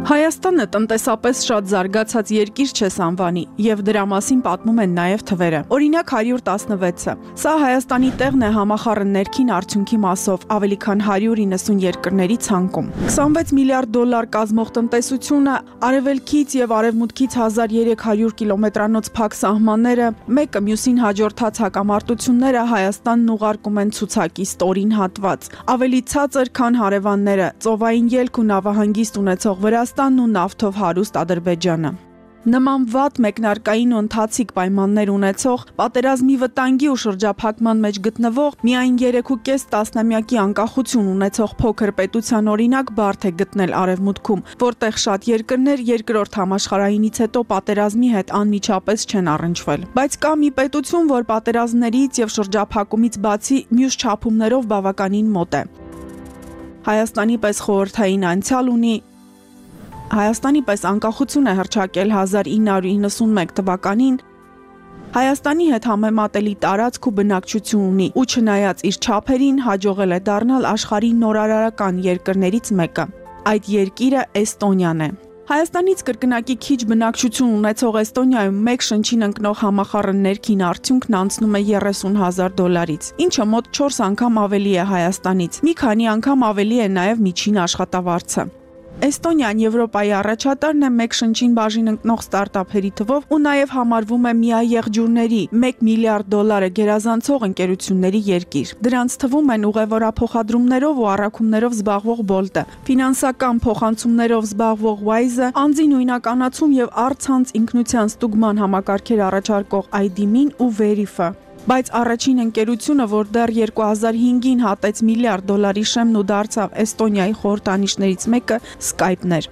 Speaker 7: Հայաստանը տնտեսապես շատ զարգացած երկիր չէ անվանի, եւ դրա մասին պատմում են նաեւ թվերը։ Օրինակ հարյուր տասնվեցը։ Սա Հայաստանի տեղն է համախառն ներքին արդյունքի մասով ավելի քան հարյուր իննսուն երկրների ցանկում։ քսանվեց միլիարդ դոլար կազմող տնտեսությունը, արևելքից եւ արևմուտքից հազար երեք հարյուր կիլոմետրանոց փակ սահմանները, մեկը մյուսին հաջորդած հակամարտությունները Հայաստանն ուղարկում են ցուցակի ստորին հատված։ Ավելի ցածր, քան հարևանները, ծովային ելք ու նավահանգիստ ունեցող Վրաստանն ու նավթով հարուստ Ադրբեջանը։ Նման վատ մեկնարկային ու ընթացիկ պայմաններ ունեցող, պատերազմի վտանգի ու շրջափակման մեջ գտնվող, միայն երեք ու կես տասնամյակի անկախություն ունեցող փոքր պետության օրինակ բարդ է գտնել Արևմուտքում, որտեղ շատ երկրներ երկրորդ համաշխարհայինից հետո պատերազմի հետ անմիջապես չեն առնչվել։ Բայց կա մի պետություն, որ պատերազմներից եւ շրջափակումից բացի մյուս չափումներով բավականին մոտ է։ Հայաստանի պես խորհրդային անցյալ ունի, Հայաստանի պես անկախություն է հռչակել հազար ինը հարյուր իննսունմեկ թվականին, Հայաստանի հետ համեմատելի տարածք ու բնակչություն ունի ու չնայած իր չափերին հաջողել է դառնալ աշխարհի նորարարական երկրներից մեկը։ Այդ երկիրը Էստոնիան է։ Հայաստանից կրկնակի քիչ բնակչություն ունեցող Էստոնիայում մեկ շնչին ընկնող համախառն ներքին արդյունքն անցնում է երեսուն հազար դոլարից, ինչը մոտ չորս անգամ ավելի է Հայաստանից, մի քանի անգամ ավելի է նաև միջին աշխատավարձը։ Էստոնիան Եվրոպայի առաջատարն է մեկ շնչին բաժին ընկնող ստարտափերի թվով ու նաև համարվում է միաեղջյուրների մեկ միլիարդ դոլարը գերազանցող ընկերությունների երկիր։ Դրանց թվում են ուղևորափոխադրումներով ու առաքումներով զբաղվող Bolt-ը, ֆինանսական փոխանցումներով զբաղվող Wise-ը, անձի նույնականացում եւ առցանց ինքնության ստուգման համակարգեր առաջարկող այ դի ըմ-ին ու Verif-ը։ Բայց առաջին ընկերությունը, որ դեռ երկու հազար հինգին հատեց միլիարդ դոլարի շեմն ու դարձավ Էստոնիայի խորհրդանիշներից մեկը, Skype-ն էր,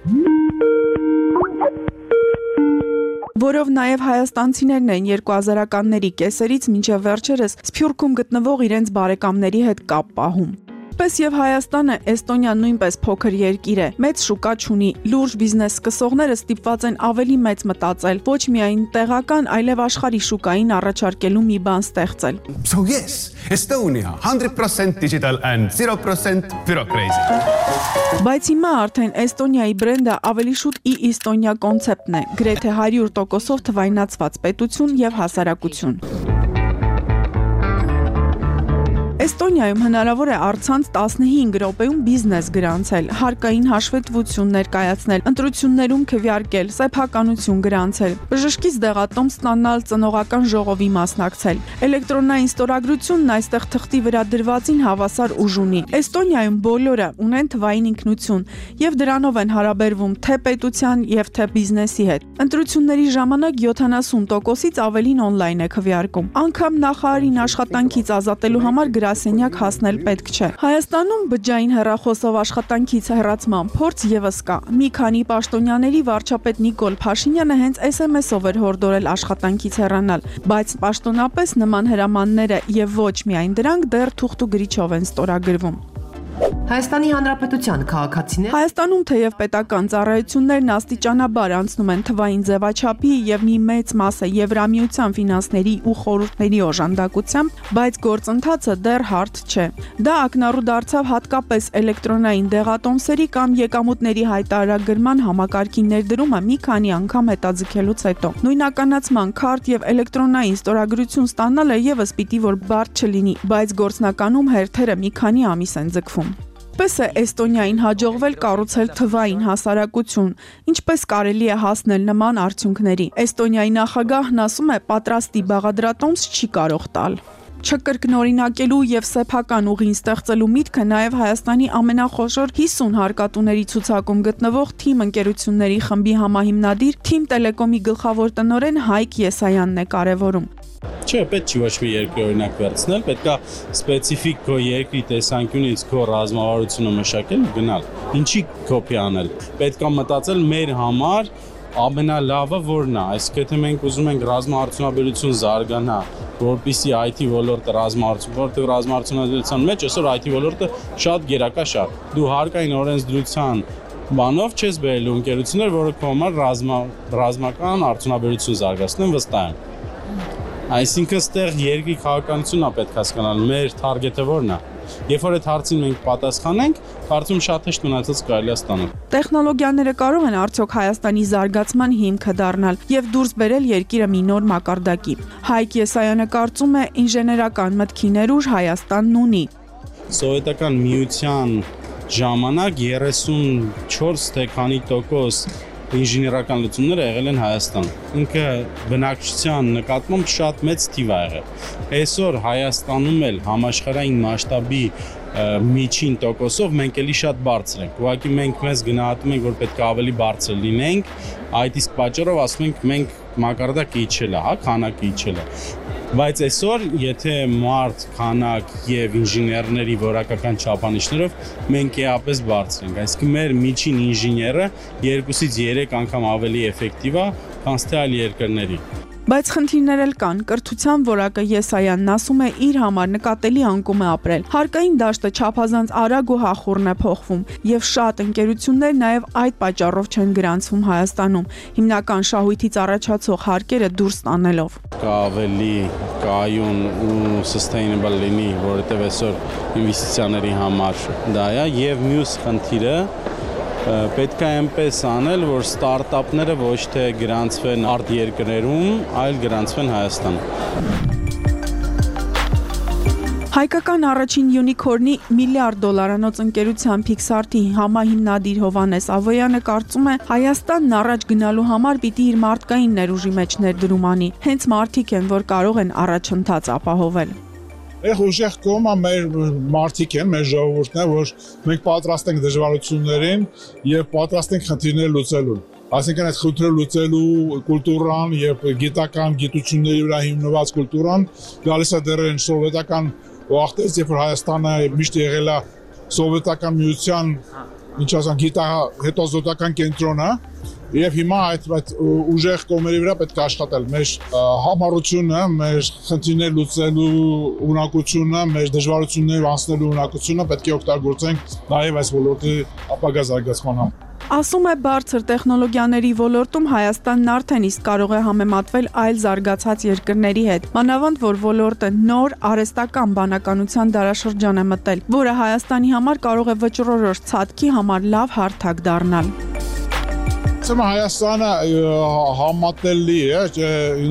Speaker 7: որով նաև հայաստանցիներն են երկու հազարականների կեսերից մինչև վերջերս Սփյուռքում գտնվող իրենց բարեկամների հետ կապ պահում։ Պես եւ Հայաստանը, Էստոնիան նույնպես փոքր երկիր է, մեծ շուկա չունի, լուրջ բիզնես սկսողները ստիպված են ավելի մեծ մտածել, ոչ միայն տեղական, այլև աշխարհի շուկային առաջարկելու մի բան ստեղծել։
Speaker 8: So yes, Estonia, one hundred percent digital and zero percent bureaucracy։
Speaker 7: Բայց հիմա արդեն Էստոնիայի բրենդը ավելի շուտ ի-Էստոնիա կոնցեպտն է, գրեթե հարյուր տոկոսով թվայնացված պետություն եւ հասարակություն։ Էստոնիայում հնարավոր է առցանց տասնհինգ րոպեում բիզնես գրանցել, հարկային հաշվետվություն ներկայացնել, ընտրություններում քվեարկել, սեփականություն գրանցել, բժշկից դեղատոմ ստանալ, ծնողական ժողովի մասնակցել։ Էլեկտրոնային ստորագրությունն այստեղ թղթի վրա դրվածին հավասար ուժ ունի։ Էստոնիայում բոլորը ունեն թվային ինքնություն եւ դրանով են հարաբերվում թե պետության եւ թե բիզնեսի հետ։ Ընտրությունների ժամանակ յոթանասուն տոկոսից ավելին օնլայն է քվեարկում։ Անգամ նախարարին աշխատանքից ազատելու համար գրասենյակ հասնել պետք չէ։ Հայաստանում բջջային հեռախոսով աշխատանքից հեռացման փորձ եւս կա։ Մի քանի պաշտոնյաների վարչապետ Նիկոլ Փաշինյանը հենց էս էմ էսով էր հորդորել աշխատանքից հեռանալ, բայց պաշտոնապես նման հրամանները եւ ոչ միայն դրանք դեռ թուղթ ու գրիչով են ստորագրվում։
Speaker 9: Հայաստանի Հանրապետության քաղաքացիներ
Speaker 7: Հայաստանում թեև պետական ծառայություններն աստիճանաբար անցնում են թվային ձևաչափի եւ մի մեծ մասը Եվրամիության ֆինանսների ու խորհուրդների օժանդակությամբ, բայց գործընթացը դեռ հարթ չէ։ Դա ակնառու դարձավ հատկապես էլեկտրոնային դեղատոմսերի կամ եկամուտների հայտարարագրման համակարգի ներդրումը մի քանի անգամ հետաձգելուց հետո։ Նույնականացման քարտ եւ էլեկտրոնային ստորագրություն ստանալը եւս պիտի որ բարդ չլինի, բայց գործնականում հերթերը մի քանի ամիս են ձգվում։ Պես է Էստոնիային հաջողվել կառուցել թվային հասարակություն, ինչպես կարելի է հասնել նման արդյունքների։ Էստոնիայի նախագահն ասում է, պատրաստի բաղադրատոմս չի կարող տալ։ Չկրկնօրինակելու եւ սեփական ուղին ստեղծելու միտքը նաեւ Հայաստանի ամենախոշոր հիսուն հարկատուների ցուցակում գտնվող թիմ ընկերությունների խմբի համահիմնադիր Թիմ Տելեկոմի գլխավոր տնօրեն Հայկ Եսայանն է կարևորում։
Speaker 10: Չէ, պետք չի ոչ մի երկրի օրինակ վերցնել, պետք է սպეციფიկ քո երկրի տեսանկյունից քո ռազմավարությունը մշակել ու գնալ։ Ինչի կոպի անել։ Պետք է մտածել մեր համար ամենալավը որն է, այսինքն թե մենք ուզում ենք ռազմաարդյունաբերություն զարգանա, որպեսզի I T ոլորտը ռազմաարդյուն, որտեղ ռազմաարդյունաբերության մեջ այսօր I T ոլորտը շատ գերակաշ է։ Դու հարկային օրենսդրության բանով չես բերելու ընկերություններ, որը քո համար ռազմա ռազմական արդյունաբերություն զարգացնեն վստահ եմ։ Այսինքն ստեղ երկրի քաղաքականությունն է պետք հասկանալ, մեր թարգեթը որն է։ Երբ որ այդ հարցին մենք պատասխանենք, կարծում շատ հեշտ մնացած կարելի է ստանալ։
Speaker 7: Տեխնոլոգիաները կարող են արդյոք Հայաստանի զարգացման հիմքը դառնալ եւ դուրս բերել երկիրը մի նոր մակարդակի։ Հայկ Եսայանը կարծում է, ինժեներական մտքի ներուժ Հայաստանն ունի։
Speaker 10: Սովետական միության ժամանակ երեսունչորս թե քանի տոկոս ինժեներական լուծումները եղել են Հայաստան։ Ինքը բնակչության նկատմամբ շատ մեծ թիվ է եղել։ Այսօր Հայաստանում էլ համաշխարհային մասշտաբի միջին տոկոսով մենք էլի շատ բարձր ենք։ Ուղղակի մենք մեզ գնահատում ենք, որ պետք է ավելի բարձր լինենք, այդ իսկ պատճառով ասում ենք մենք մակարդակը իջել է, հա, քանակը իջել է։ Բայց այսօր, եթե մարդ, քանակ եւ ինժեներների որակական չափանիշներով մենք էապես բարձր ենք, այսինքն մեր միջին ինժեները երկուսից երեք անգամ ավելի էֆեկտիվ է, քան թե այլ երկրների։
Speaker 7: Բայց խնդիրներ էլ կան։ Կրթության որակը Եսայանն ասում է իր համար նկատելի անկում է ապրել։ Հարկային դաշտը չափազանց արագ ու հախուռն է փոխվում, եւ շատ ընկերություններ նաեւ այդ պատճառով չեն գրանցվում Հայաստանում, հիմնական շահույթից առաջացող հարկերը դուրս տանելով։
Speaker 10: Կա ավելի կայուն ու sustainable լինի, որովհետեւ այսօր ինվեստիցիաների համար դա է, եւ մյուս խնդիրը պետք է այնպես անել, որ ստարտափները ոչ թե գրանցվեն արտերկրներում, այլ գրանցվեն Հայաստան։
Speaker 7: Հայկական առաջին յունիքորնի միլիարդ դոլարանոց ընկերության Pixart-ի համահիմնադիր Հովհաննես Ավոյանը կարծում է, Հայաստանն առաջ գնալու համար պիտի իր մարդկային ներուժի մեջ ներդրում անի։ Հենց մարդիկ են, որ կարող են առաջընթաց ապահովել։
Speaker 11: Эх ուժեղ կողմը մեր մարդիկ են, մեր ժողովուրդն է, որ մենք պատրաստ ենք դժվարություններին եւ պատրաստ ենք խնդիրներ լուծելուն։ Այսինքն այդ խնդիրը լուծելու կուլտուրան եւ գիտական գիտությունների վրա հիմնված կուլտուրան գալիս է դեռ այն սովետական վաղտից, երբ որ Հայաստանը միշտ եղել է սովետական միության, ինչ ասեմ, գիտահետազոտական կենտրոնը, եւ հիմա այդ այդ ուժեղ կողմերի վրա պետք է աշխատել։ Մեր համառությունը, մեր խնդիրներ լուծելու ունակությունը, մեր դժվարություններ անցնելու ունակությունը պետք է օգտագործենք նաեւ այս ոլորտի ապագա զարգացման համար։
Speaker 7: Ասում է, բարձր տեխնոլոգիաների ոլորտում Հայաստանն արդեն իսկ կարող է համեմատվել այլ զարգացած երկրների հետ, մանավանդ որ ոլորտը նոր արհեստական բանականության դարաշրջան է մտել, որը Հայաստանի համար կարող է վճռորոշ ցածքի համար լավ հարթակ դառնալ։
Speaker 11: Սա Հայաստանը համատելի է,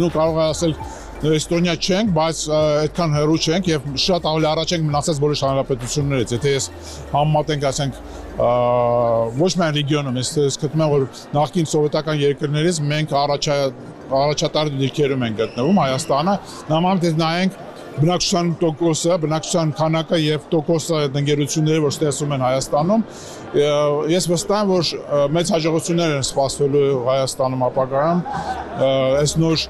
Speaker 11: նու կարող է ասել Էստոնիա չենք, բայց այդքան հեռու չենք եւ շատ ավելի առաջ ենք մնացած բոլոր հանրապետություններից։ Եթե ես համեմատենք, ասենք, ոչ միայն ռեգիոնում, ես գտնում եմ, որ նախկին սովետական երկրներից մենք առաջատար դիրքերում ենք գտնվում Հայաստանը, նմանապես նայենք բնակչության տոկոսը, բնակչության քանակը եւ տոկոսը ընկերությունների, որ ստեղծում են Հայաստանում, ես վստահ եմ, որ մեծ հաջողություններ են սպասվելու Հայաստանում ապագայում, այս նոր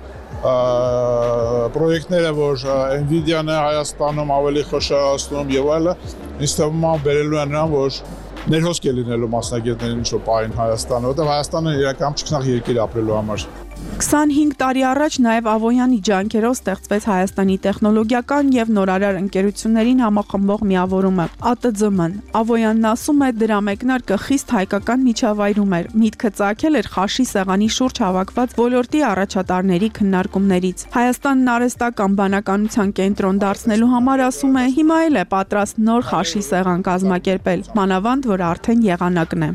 Speaker 11: պրոյեկտները, որ Nvidia-ն է Հայաստանում ավելի խոշորացնում եւ այլը, ինձ թվում է բերելու են նրան, որ ներհոսք է լինելու մասնագետներին ինչ-որ պահին Հայաստանը, որտեղ Հայաստանը իրական չքնաղ երկիր ապրելու համար։
Speaker 7: քսանհինգ տարի առաջ նաև Ավոյանի ջանքերով ստեղծվեց Հայաստանի տեխնոլոգիական եւ նորարար ընկերություններին համախմբող միավորումը A T Z M-ն։ Ավոյանն ասում է, դրա մեկնարկը խիստ հայկական միջավայրում էր։ Միտքը ծագել էր խաշի սեղանի շուրջ հավաքված ոլորտի առաջատարների քննարկումներից։ Հայաստանն արհեստական բանականության կենտրոն դարձնելու համար, ասում է, հիմա էլ է պատրաստ նոր խաշի սեղան կազմակերպել, մանավանդ որ արդեն եղանակն է։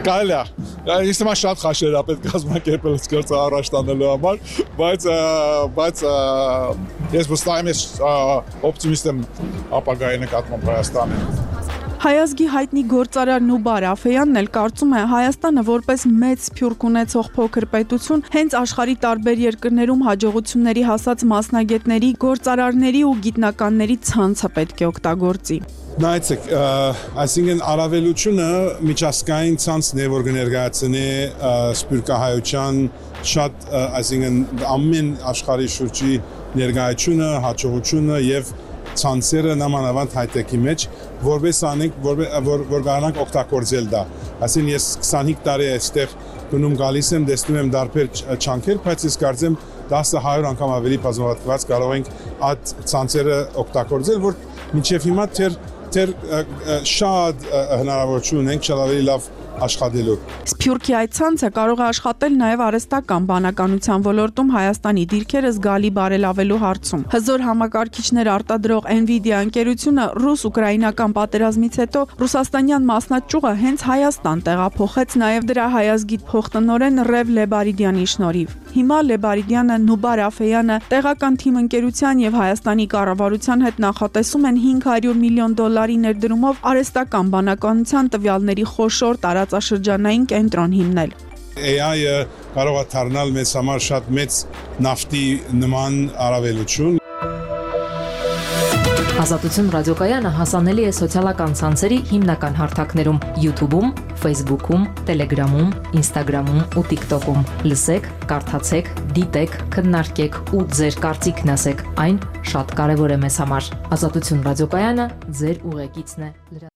Speaker 11: Կարելի է, ես հիմա շատ խաշեր է պետք կազմակերպել սկրծը առաջ տանելու համար, բայց բայց ես վստահ եմ, ես օպտիմիստ եմ ապագայի նկատմամբ Հայաստանի։
Speaker 7: Հայազգի հայտնի գործարար Նուբար Աֆեյանն էլ կարծում է, Հայաստանը որպես մեծ սփյուռք ունեցող փոքր պետություն հենց աշխարհի տարբեր երկրներում հաջողությունների հասած մասնագետների, գործարարների ու գիտնականների ցանցը պետք է օգտագործի։
Speaker 11: Նայեցեք, այսինքն առավելությունը միջազգային ցանցն է, որ կներկայացնի սփյուռքահայության շատ, այսինքն ամեն աշխարհի շուրջի ներկայությունը, հաջողությունը եւ ցանցերը նամանավանդ հայտեկի մեջ որպես անենք որ որ կարողանանք օգտագործել դա։ Այսինքն ես քսանհինգ տարի այստեղ գնում գալիս եմ, տեսնում եմ դարբեր չանքեր, բայց ես կարծեմ դասը հարյուր անգամ ավելի բազմապատկված կարող ենք այդ ցանցերը օգտագործել, որ մինչև հիմա թեր թեր շատ հնարավորություն ունենք շատ ավելի լավ աշխատելու։
Speaker 7: Սփյուռքի այդ ցանցը կարող է աշխատել նաև արհեստական բանականության ոլորտում Հայաստանի դիրքերը զգալի բարելավելու հարցում։ Հզոր համակարգիչներ արտադրող Nvidia ընկերությունը ռուս-ուկրաինական պատերազմից հետո ռուսաստանյան մասնաճյուղը հենց Հայաստան տեղափոխեց նաև դրա հայազգիտ փոխտնօրեն Ռև Լեբարիդյանի շնորհիվ։ Հիմա Լեբարիդյանը, Նուբար Աֆեյանը տեղական թիմ ընկերության եւ Հայաստանի կառավարության հետ նախատեսում են հինգ հարյուր միլիոն դոլարի ներդրումով արհեստական բանականության տվյալների խոշոր տարածաշրջանային կենտրոն հիմնել։
Speaker 11: A I-ը կարող է դառնալ մեզ համար շատ մեծ նավթի նման առավելություն։
Speaker 1: Ազատություն ռադիոկայանը հասանելի է սոցիալական ցանցերի հիմնական հարթակներում՝ YouTube-ում, Facebook-ում, Telegram-ում, Instagram-ում ու TikTok-ում։ Լսեք, կարդացեք, դիտեք, քննարկեք ու ձեր կարծիքն ասեք։ Այն շատ կարևոր է մեզ համար։ Ազատություն ռադիոկայանը ձեր ուղեկիցն է։